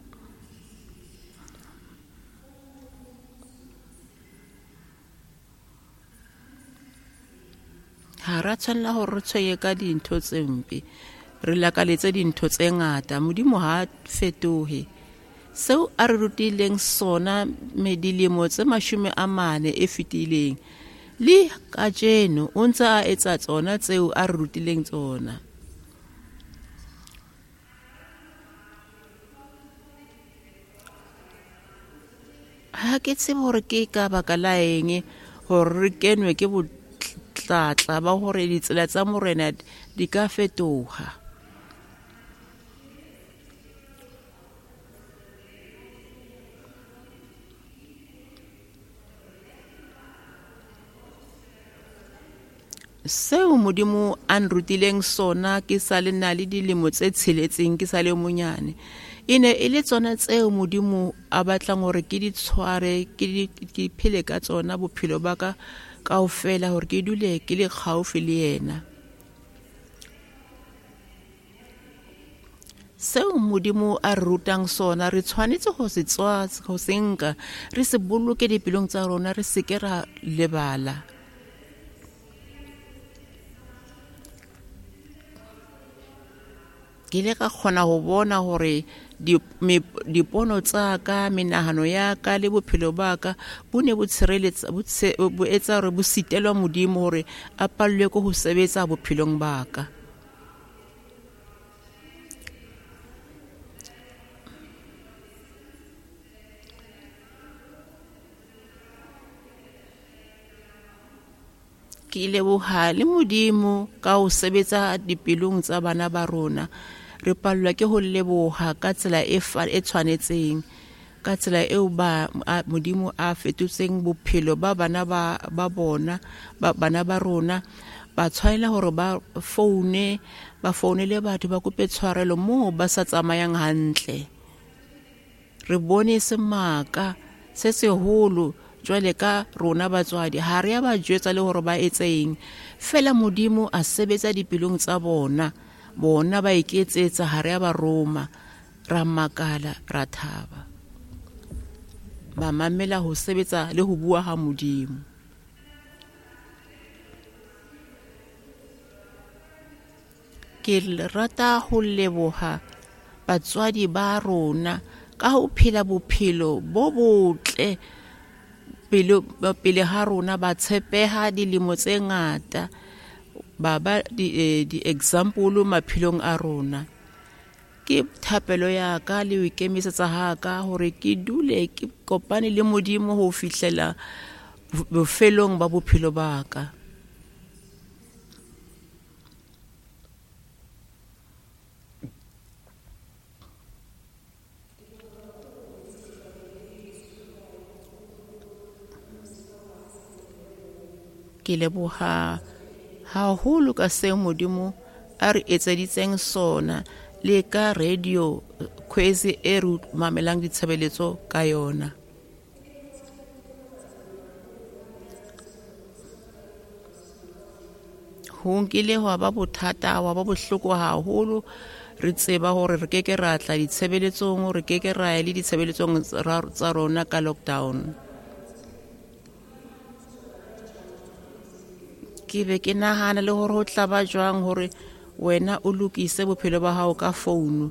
Ha ra tshwanela hore re tshwenye ka dintho tse mpe, re lakaletse dintho tse ngata. Modimo ha fetohe. Seo a re rutileng sona dilemo tse 40 e fetileng, le kajeno o ntse a etsa tsona tseo a re rutileng tsona. Ha ke tsebe hore ke ka baka la eng hore re kenwe ke botlatla ba hore ditsela tsa Morena di ka fetoha. Seo Modimo a nrutileng sona ke sa le na le dilemo tse 6, ke sa le monyane, e ne e le tsona tseo Modimo a batlang hore ke di tshware, ke phele ka tsona bophelo ba ka kaofela, hore ke dule ke le kgaufi le yena. Seo Modimo a re rutang sona re tshwanetse ho se tswa, ho se nka, re se boloke dipelong tsa rona, re se ke ra lebala. Ke ile ka kgona ho bona hore dipono tsa ka, menahano ya ka le bophelo ba ka bo ne bo tshireletsa, bo etsa hore bo sitelwa Modimo hore a pallwe ke ho sebetsa bophelong ba ka. Ke leboha le Modimo ka ho sebetsa dipelong tsa bana ba rona. Re pallwa ke ho leboha ka tsela e tshwanetseng, ka tsela eo ba Modimo a fetotseng bophelo ba bana ba bona, ba bana ba rona. Ba tshwanela hore ba foune, ba founele batho, ba kope tshwarelo moo ba sa tsamayang hantle. Re bone semaka se seholo jwale ka rona batswadi, ha re a ba jwetsa le hore ba etseng, fela Modimo a sebetsa dipelong tsa bona, bona ba iketsetsa, ha re a ba roma. Ra makala, ra thaba, ba mamela ho sebetsa le ho bua ha Modimo. Ke rata ho leboha batswadi ba rona ka ho phela bophelo bo botle pele ha rona, ba tshepeha dilemo tse ngata, ba ba di-example maphelong a rona. Ke thapelo ya ka le ho ikemisetsa ha ka hore ke dule ke kopane le Modimo ho fihlela bofelong ba bophelo ba ka. Ke leboha haholo ka seo Modimo a re etseditseng sona le ka radio Khwezi e re mamelang ditshebeletso ka yona. Ho nkile hwa ba bothata, hwa ba bohloko haholo. Re tseba hore re keke ra tla ditshebeletsong, re keke ra ya le ditshebeletsong tsa rona ka lockdown. Ke be ke nahana le hore ho tla ba jwang hore wena o lokise bophelo ba hao ka founu.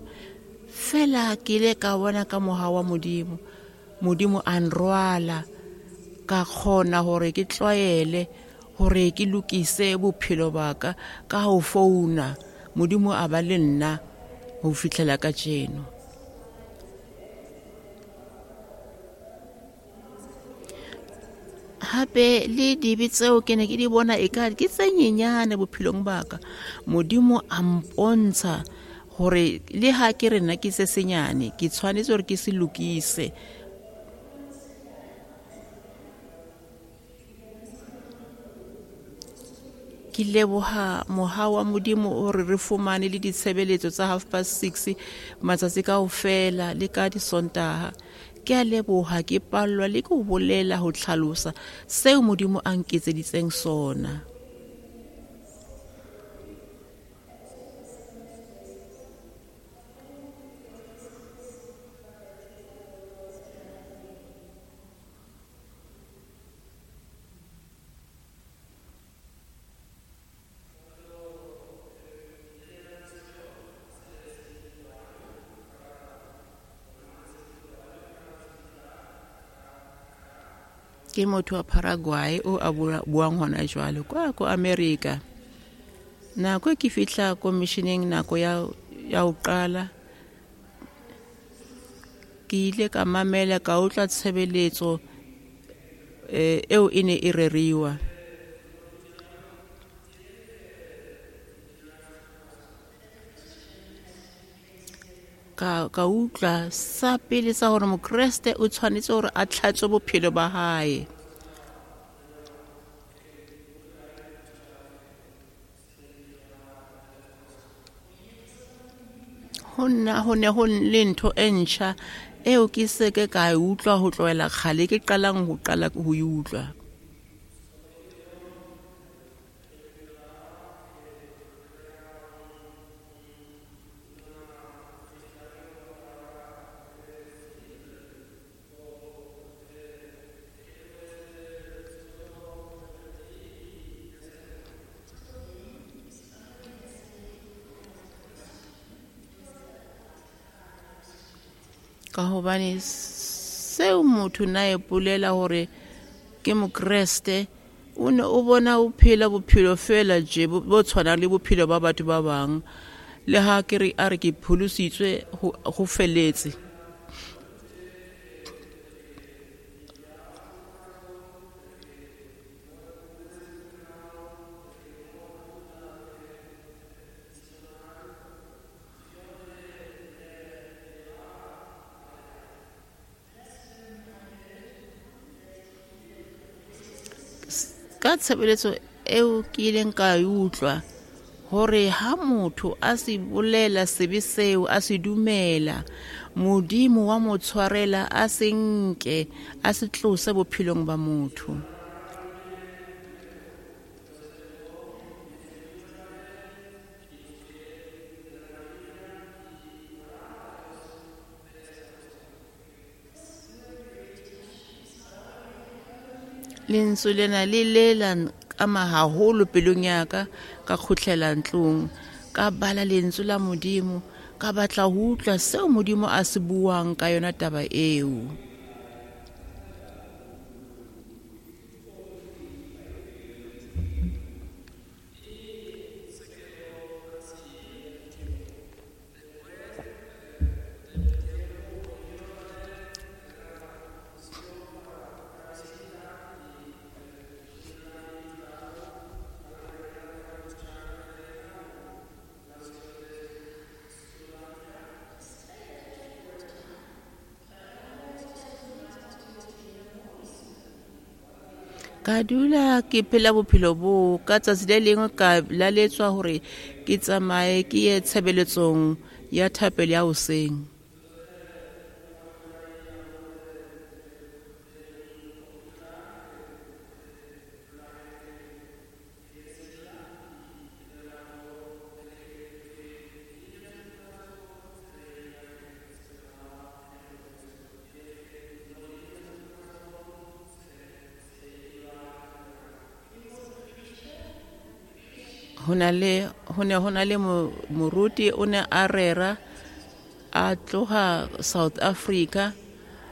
Fela ke ile ka bona ka mohau wa Modimo, Modimo a nrwala, ka kgona hore ke tlwaele hore ke lokise bophelo ba ka ka ho founa. Modimo a ba le nna ho fihlela kajeno. Hape le dibe tseo ke ne ke di bona eka ke tse nyenyane bophelong ba ka, Modimo a mpontsha hore le ha ke re nna ke se senyane, ke tshwanetse hore ke se lokise. Ke leboha mohau wa Modimo hore re fumane le ditshebeletso tsa 6:30 matsatsi kaofela le ka Disontaha. Ke a leboha, ke pallwa le ke ho bolela ho tlhalosa seo Modimo a nketseditseng sona. Ke motho wa Paraguay o a buang hona jwale kwa ko America. Nako e ke fihla ko missioneng, nako ya ho qala, ke ile ka mamela, ka utlwa tshebeletso eo e ne e reriwa. Ka utlwa sa pele sa hore Mokreste o tshwanetse hore a tlhatswe bophelo ba hae. Ho nna ho ne ho le ntho e ntjha eo ke se ke ka e utlwa ho tlohela kgale, ke qalang ho qala ho e utlwa. Ka hobane seo motho na e bolela hore ke Mokreste, o ne o bona o phela bophelo fela je bo tshwanang le bophelo ba batho ba bang. Le ha ke re a re ke pholositswe ho feletse. Ka tshebeletso eo ke ileng ka e utlwa hore ha motho a se bolela sebe seo, a se dumela, Modimo wa mo tshwarela, a se nke, a se tlose bophelong ba motho. Lentswe lena le lela ama haholo pelong ya ka, ka kgutlela ntlong, ka bala lentswe la Modimo, ka batla ho utlwa seo Modimo a se buang ka yona taba eo. Ka dula ke phela bophelo bo ka tsatsi le lengwe ka laletswa hore ke tsamaye ke ye tshebeletsong ya thapelo ya hoseng. Ho ne ho na le moruti o ne a rera a tloha South Africa.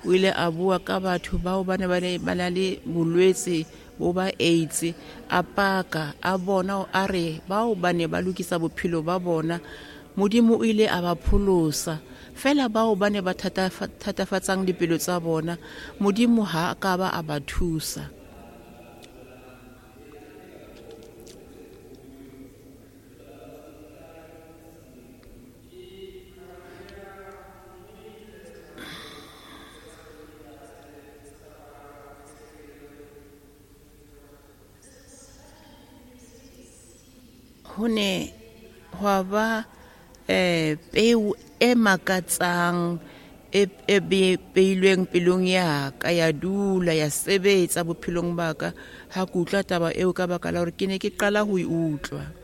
O ile a bua ka batho bao ba ne ba na le bolwetse bo ba AIDS, a paka a bona a re bao ba ne ba lokisa bophelo ba bona, Modimo o ile a ba pholosa. Fela bao ba ne ba thatafatsang dipelo tsa bona, Modimo ha a ka ba a ba thusa. Ho ne hwa ba peo e makatsang e beilweng pelong ya ka, ya dula ya sebetsa bophelong ba ka ha ke utlwa taba eo, ka baka la hore ke ne ke qala ho e utlwa.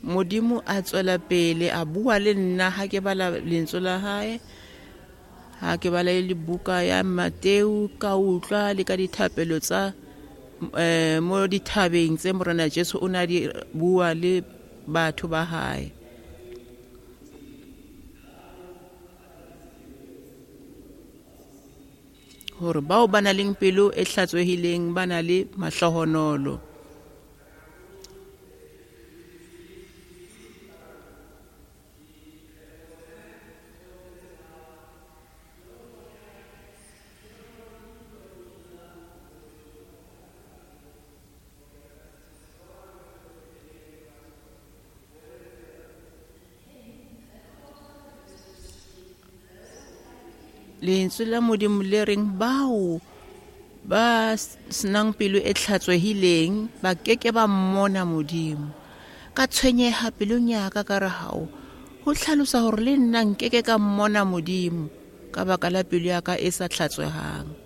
Modimo a tswela pele a bua le nna ha ke bala lentswe la hae, ha ke bala le buka ya Mateu, ka utlwa le ka dithapelo tsa mo dithabeng tse Morena Jesu o na di bua le batho ba hae. Hore bao ba nang le pelo e hlatswehileng ba na le mahlohonolo. Lentswe la Modimo le reng bao ba senang pelo e hlatswehileng ba keke ba mmona Modimo. Ka tshwenyeha pelong ya ka, ka re hao ho hlalosa hore le nna nkeke ka mmona Modimo ka baka la pelo ya ka e sa hlatswehang.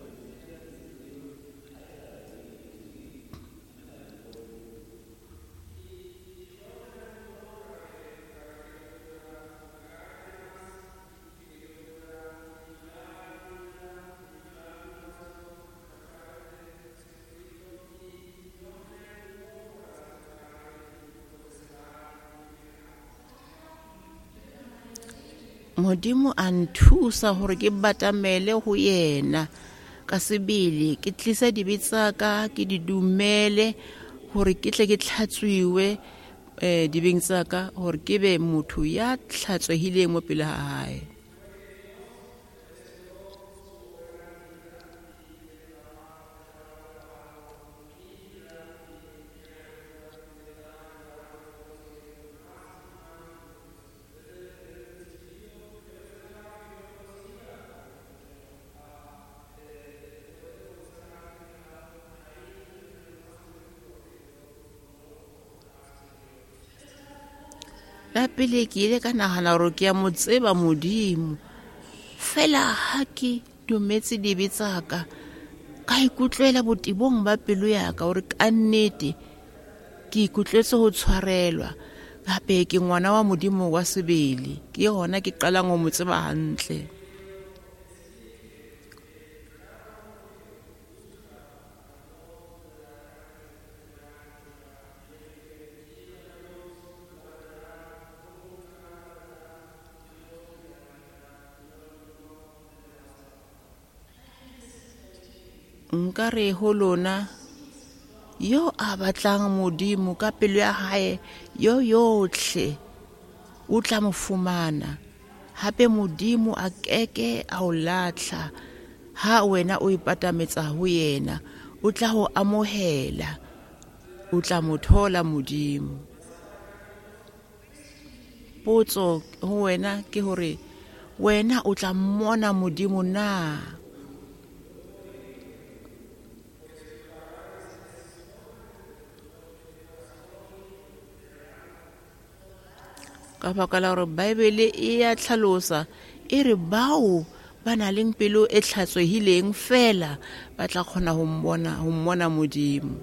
Modimo a nthusa hore ke batamele ho yena ka sebele, ke tlise dibe tsa ka, ke di dumele hore ke tle ke tlhatswiwe dibeng tsa ka, hore ke be motho ya tlhatswehileng mo pele ha hae. La pele ke ile ka nahana hore ke ya mo tseba Modimo, fela ha ke dumetse dibe tsa ka, ka ikutlwela botebong ba pelo ya ka hore ka nnete ke ikutlwetse ho tshwarelwa, hape ke ngwana wa Modimo wa sebele, ke hona ke qalang ho mo tseba hantle. Nka re ho lona, yo a batlang Modimo ka pelo ya hae yo yotlhe o tla mo fumana. Hape Modimo a keke a o latlha ha wena o ipatametsa ho yena. o tla ho amohela, o tla mo thola Modimo. Potso ho wena ke hore wena o tla mmona Modimo na? Ka baka la hore Bibele e ya tlhalosa e re bao ba nang le pelo e tlhatswehileng fela ba tla kgona ho mmona Modimo.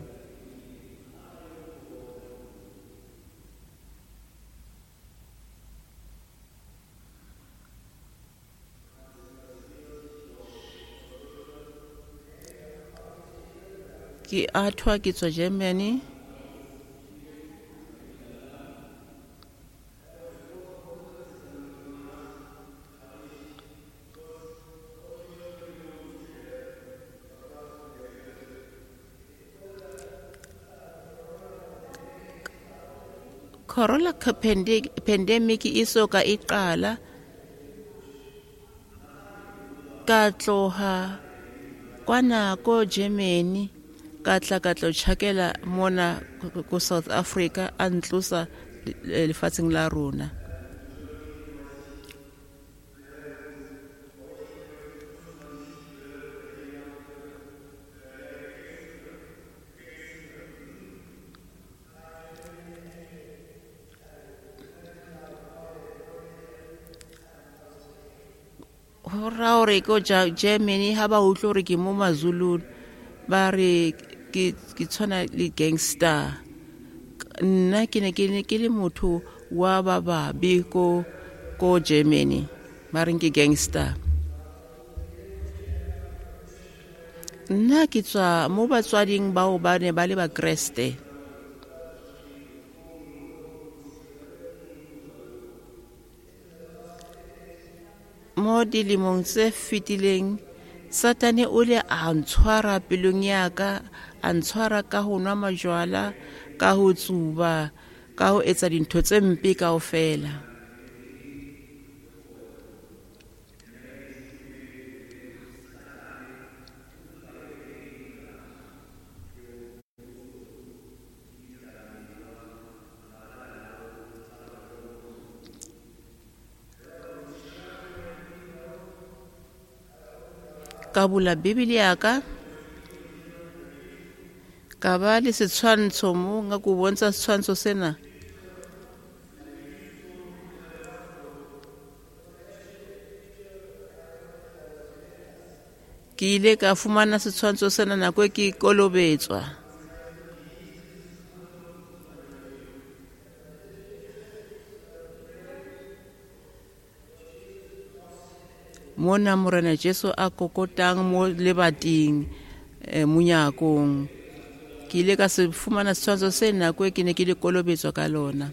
Ke athwa ke tswa Germany. Corona pandemic e so ka e qala, ka tloha kwana ko Germany, ka tla ka tlo tjhakela mona ko South Africa, a ntlosa lefatsheng la rona. Ho ra hore ko Germany ha ba utlwe hore ke mo Mazulu, ba re ke tshwana le gangster. Nna ke ne ke le motho wa ba babe ko Germany, ba reng ke gangster. Nna ke tswa mo batswading bao ba ne ba le ba Kreste. Mo dilemong tse fetileng, Satane o ile a ntshwara pelong ya ka, a ntshwara ka ho nwa majwala, ka ho tsuba, ka ho etsa dintho tse mpe kaofela. Ka bula Bibele ya ka, ka ba le setshwantsho mo, nka ko bontsha setshwantsho sena. Ke ile ka fumana setshwantsho sena nako e ke kolobetswa. Mona Morena Jesu a kokotang mo lebating, monyakong. Ke ile ka se fumana setshwantsho se nako e ke ne ke le kolobetswa ka lona.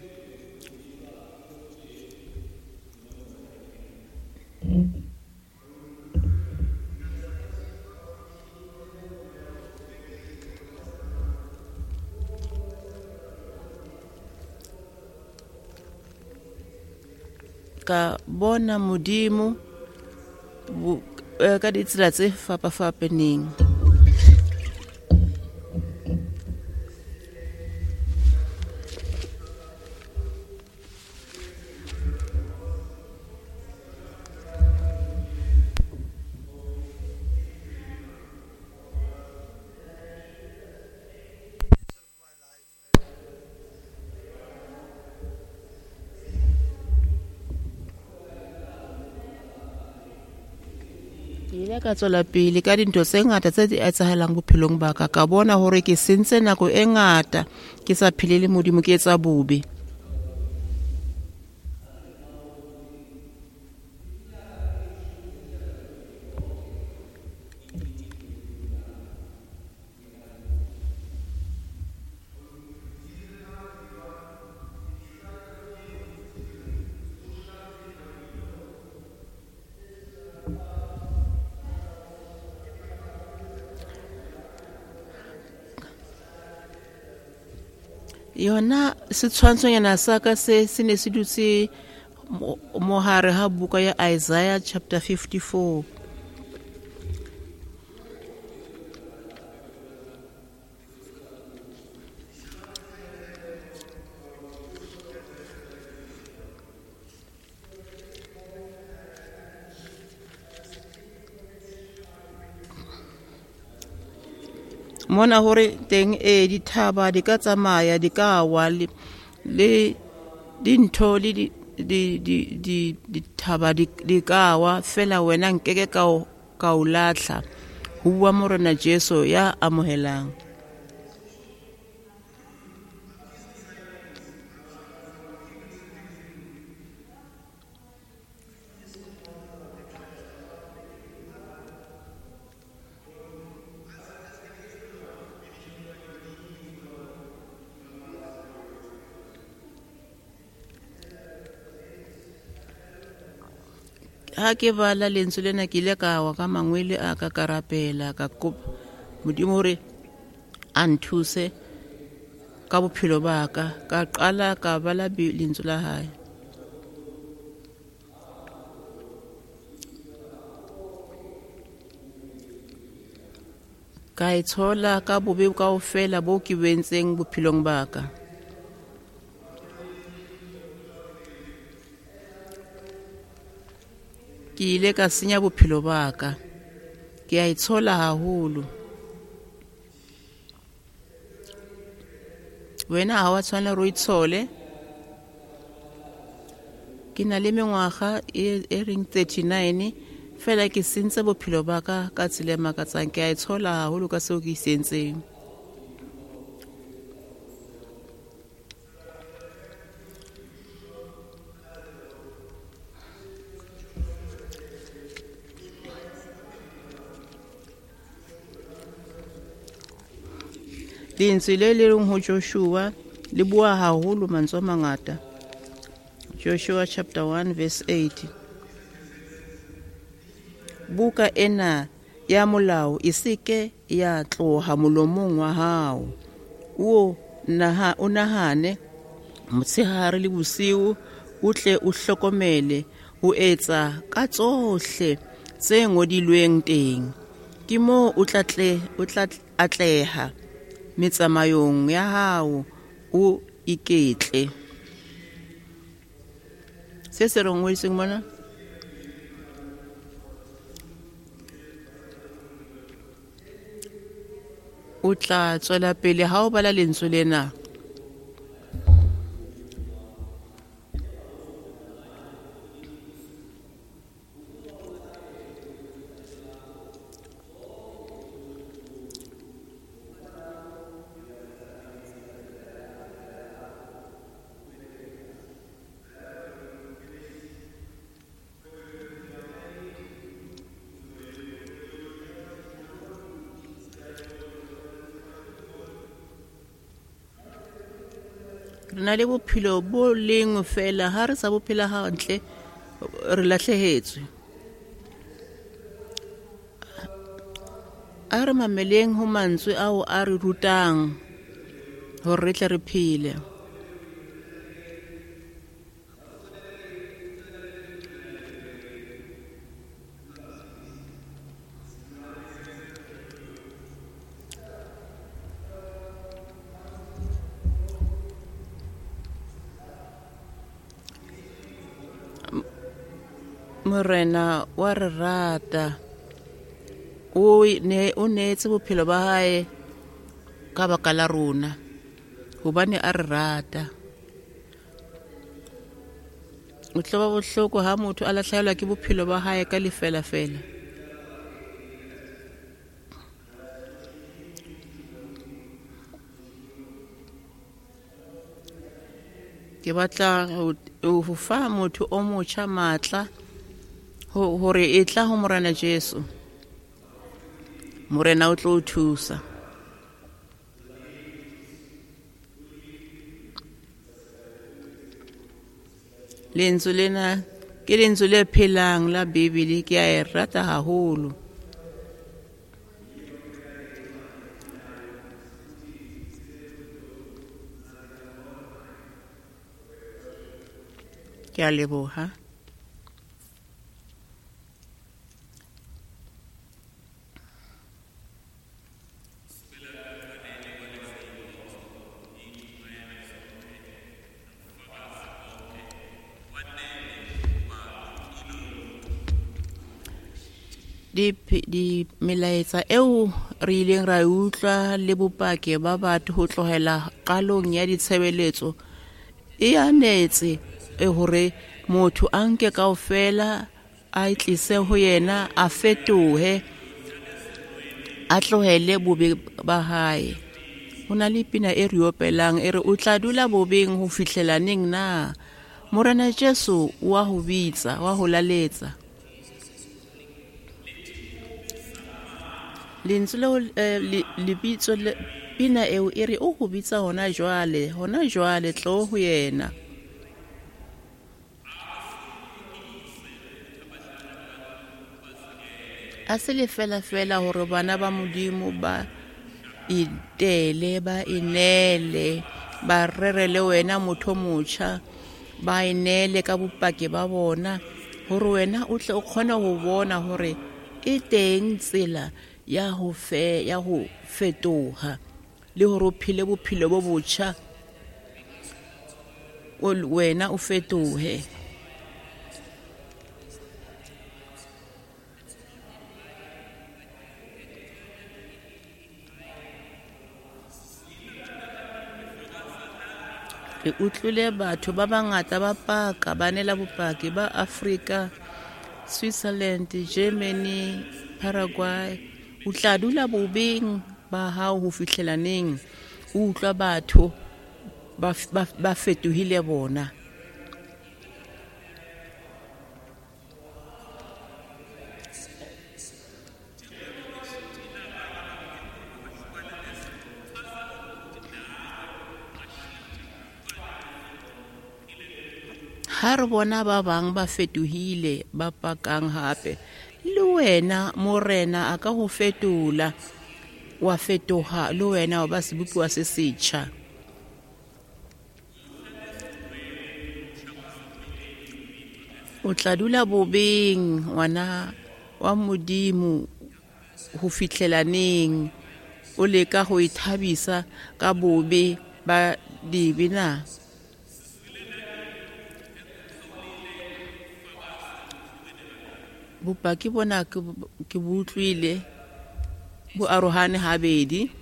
Ka bona Modimo ka ditsela tse fapafapaneng. Ile ka tswela pele ka dintho tse ngata tse di etsahalang bophelong ba ka. Ka bona hore ke sentse nako e ngata ke sa phele le Modimo, ke etsa bobe. Yona setshwantshonyana sa ka se se ne se dutse mohare ha buka ya Isaiah chapter 54. Mona hore teng e dithaba di ka tsamaya di ka wa le dintho le dithaba di ka wa fela wena nkeke ka o latlha. Ho bua Morena Jesu ya amohelang. Ha ke bala lentswe lena ke ile ka wa ka mangwele a ka ka rapela ka kopa Modimo hore a nthuse ka bophelo ba ka. Ka qala ka bala lentswe la hae. Ka itshola ka bobe kaofela bo ke bo entseng bophelong ba ka. Ke ile ka senya bophelo ba ka. Ke a itshola haholo. Wena ha wa tshwanela hore o itshole. Ke na le mengwaga e reng 39 fela ke sentse bophelo ba ka ka tsela e makatsang. Ke a itshola haholo ka seo ke se entseng. Lentswe le le reng ho Joshua le bua haholo mantswe a mangata. Joshua chapter 1 verse 8. Buka ena ya molao e seke ya tloha molomong wa hao. O nahane motshehare le bosiu, o tle o hlokomele ho etsa ka tsohle tse ngodilweng teng. Ke moo o tla atleha metsamayong ya hao, o iketle. Se se rongwetseng mona? O tla tswela pele ha o bala lentswe lena. Re na le bophelo bo leng fela, ha re sa bophela hantle re lahlehetswe. A re mameleng ho mantswe ao a re rutang hore re tle re phele. Morena wa re rata, o neetse bophelo ba hae ka baka la rona, hobane a re rata. O tlo ba bohloko ha motho a lahlehelwa ke bophelo ba hae ka lefela fela. Ke batla ho fa motho o motjha matla hore e tla ho Morena Jesu. Morena o tlo o thusa. Lentswe lena ke lentswe le phelang la Bibele, ke a e rata haholo. Ke a leboha. Di melaetsa eo re ileng ra e utlwa le bopaki ba batho ho tlohela qalong ya ditshebeletso e anetse e hore motho a nke kaofela a itlise ho yena, a fetohe, a tlohele bobe ba hae. Ho na le pina e re opelang e re o tla dula bobeng ho fihlela neng na? Morena Jesu wa ho bitsa, wa ho laletsa. Lentswe leo lebitso le pina eo e re o ho bitsa hona jwale, hona jwale tlo ho yena. A se le fela fela hore bana ba Modimo ba itele, ba inele, ba rere le wena motho o motjha, ba inele ka bopaki ba bona hore wena o tle o kgone ho bona hore e teng tsela ya ho fetoha le hore o phele bophelo bo botjha, wena o fetohe. Re utlwile batho ba bangata ba paka, ba neela bopaki ba Afrika, Switzerland, Germany, Paraguay. O tla dula bobeng ba hao ho fihlela neng? O utlwa batho ba fetohile bona. Ha re bona ba bang ba fetohile, ba pakang hape, le wena Morena a ka ho fetola, wa fetoha le wena wa ba sebopuwa se setjha. O tla dula bobeng ngwana wa Modimo ho fihlela neng? O leka ho ithabisa ka bobe ba dibe na? Bopaki bona ke bo utlwile bo arohane habedi.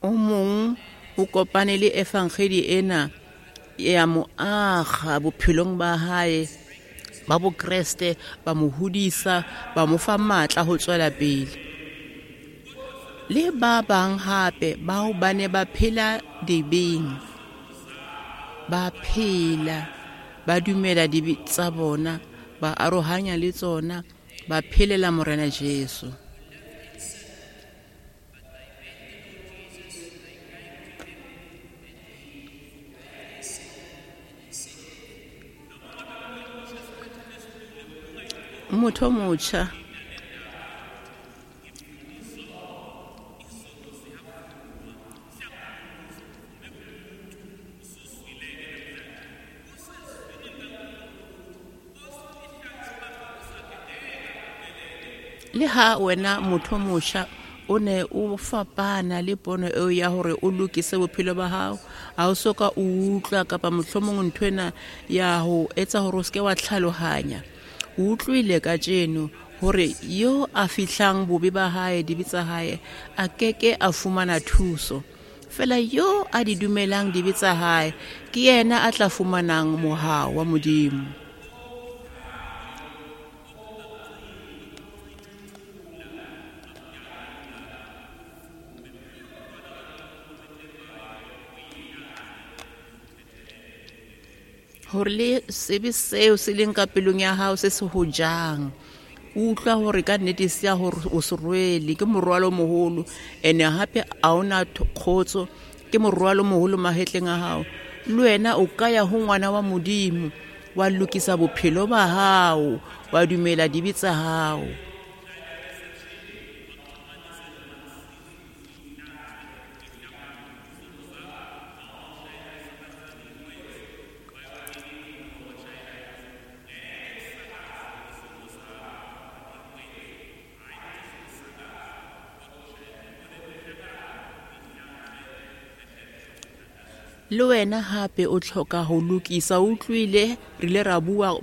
O mong o kopane le evangeli ena ya mo akga bophelong ba hae ba bokreste, ba mo hodisa, ba mo fa matla ho tswela pele. Le ba bang hape bao ba ne ba phela dibeng, ba phela ba dumela dibe tsa bona, ba arohanya le tsona, ba phelela Morena Jesu. Motho o motjha le ha wena motho o motjha o ne o fapana le pono eo ya hore o lokise bophelo ba hao, ha o soka o utlwa kapa mohlomong nthwena ya ho etsa hore o seke wa tlhalohanya. O utlwile kajeno hore yo a fihlang bobe ba hae, dibe tsa hae, a keke a fumana thuso. Fela yo a di dumelang dibe tsa hae ke yena a tla fumanang mohau wa Modimo. Hore le sebe seo se leng ka pelong ya hao se se ho jang, o utlwa hore ka nnete se ya hore o se rwele, ke morwalo o moholo, ene hape ha ona kgotso, ke morwalo o moholo mahetleng a hao. Le wena o ka ya ho ngwana wa Modimo, wa lokisa bophelo ba hao, wa dumela dibe tsa hao. Le wena hape o tlhoka ho lokisa, o utlwile re ile ra bua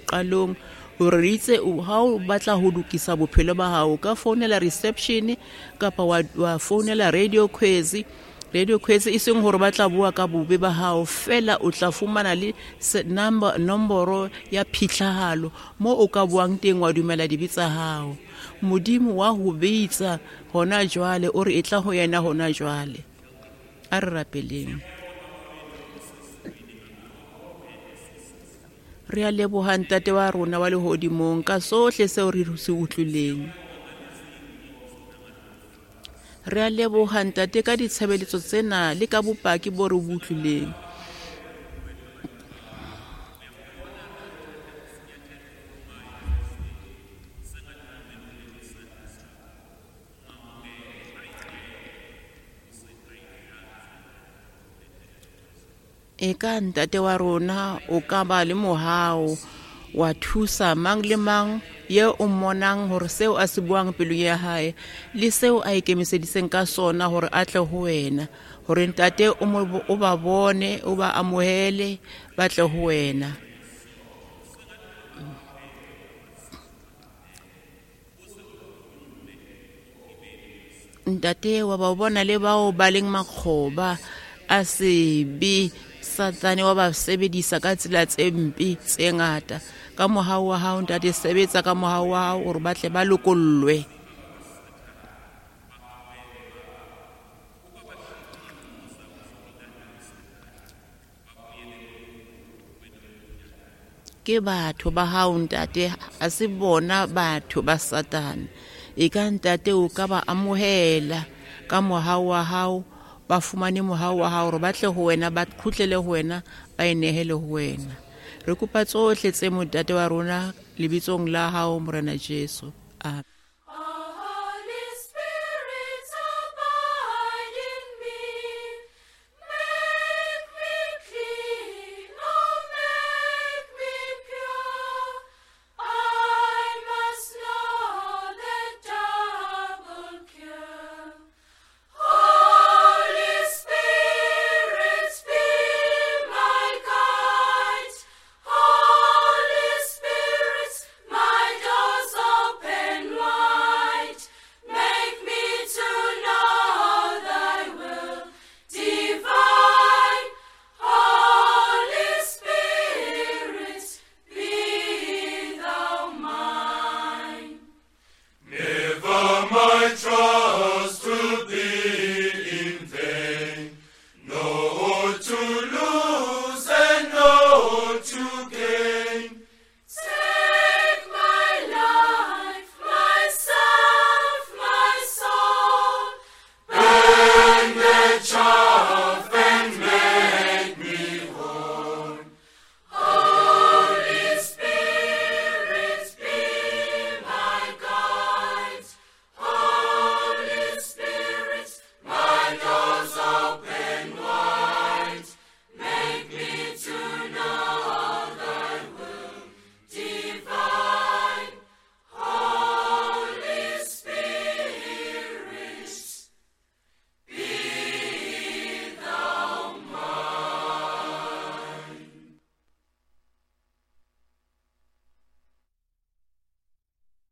qalong hore re itse ha o batla ho lokisa bophelo ba hao, ka founela reception kapa wa founela Radio Khwezi. Radio Khwezi e seng hore ba tla bua ka bobe ba hao fela, o tla fumana le nomoro ya phitlhahalo mo o ka buang teng wa dumela dibe tsa hao. Modimo wa ho bitsa hona jwale, o re e tla ho yena hona jwale. A re rapeleng. Re a leboha Ntate wa rona wa lehodimong ka sohle seo re se utlwileng. Re a leboha Ntate ka ditshebeletso tsena le ka bopaki bo re bo utlwileng. E ka Ntate wa rona o ka ba le mohau wa thusa mang le mang ye o mmonang hore seo a se buang pelong ya hae le seo a ikemiseditseng ka sona hore a tle ho wena, hore Ntate o ba bone, o ba amohele, ba tle ho wena. Ntate wa ba bona le bao ba leng makgoba a sebe, Satane wa ba sebedisa ka tsela tse mpe tse ngata. Ka mohau wa hao Ntate, sebetsa ka mohau wa hao hore ba tle ba lokollwe. Ke batho ba hao Ntate, ha se bona batho ba Satane. E ka Ntate o ka ba amohela ka mohau wa hao, ba fumane mohau wa hao hore ba tle ho wena, ba kgutlele ho wena, ba inehele ho wena. Re kopa tsohle tse Ntate wa rona lebitsong la hao Morena Jesu. Amen.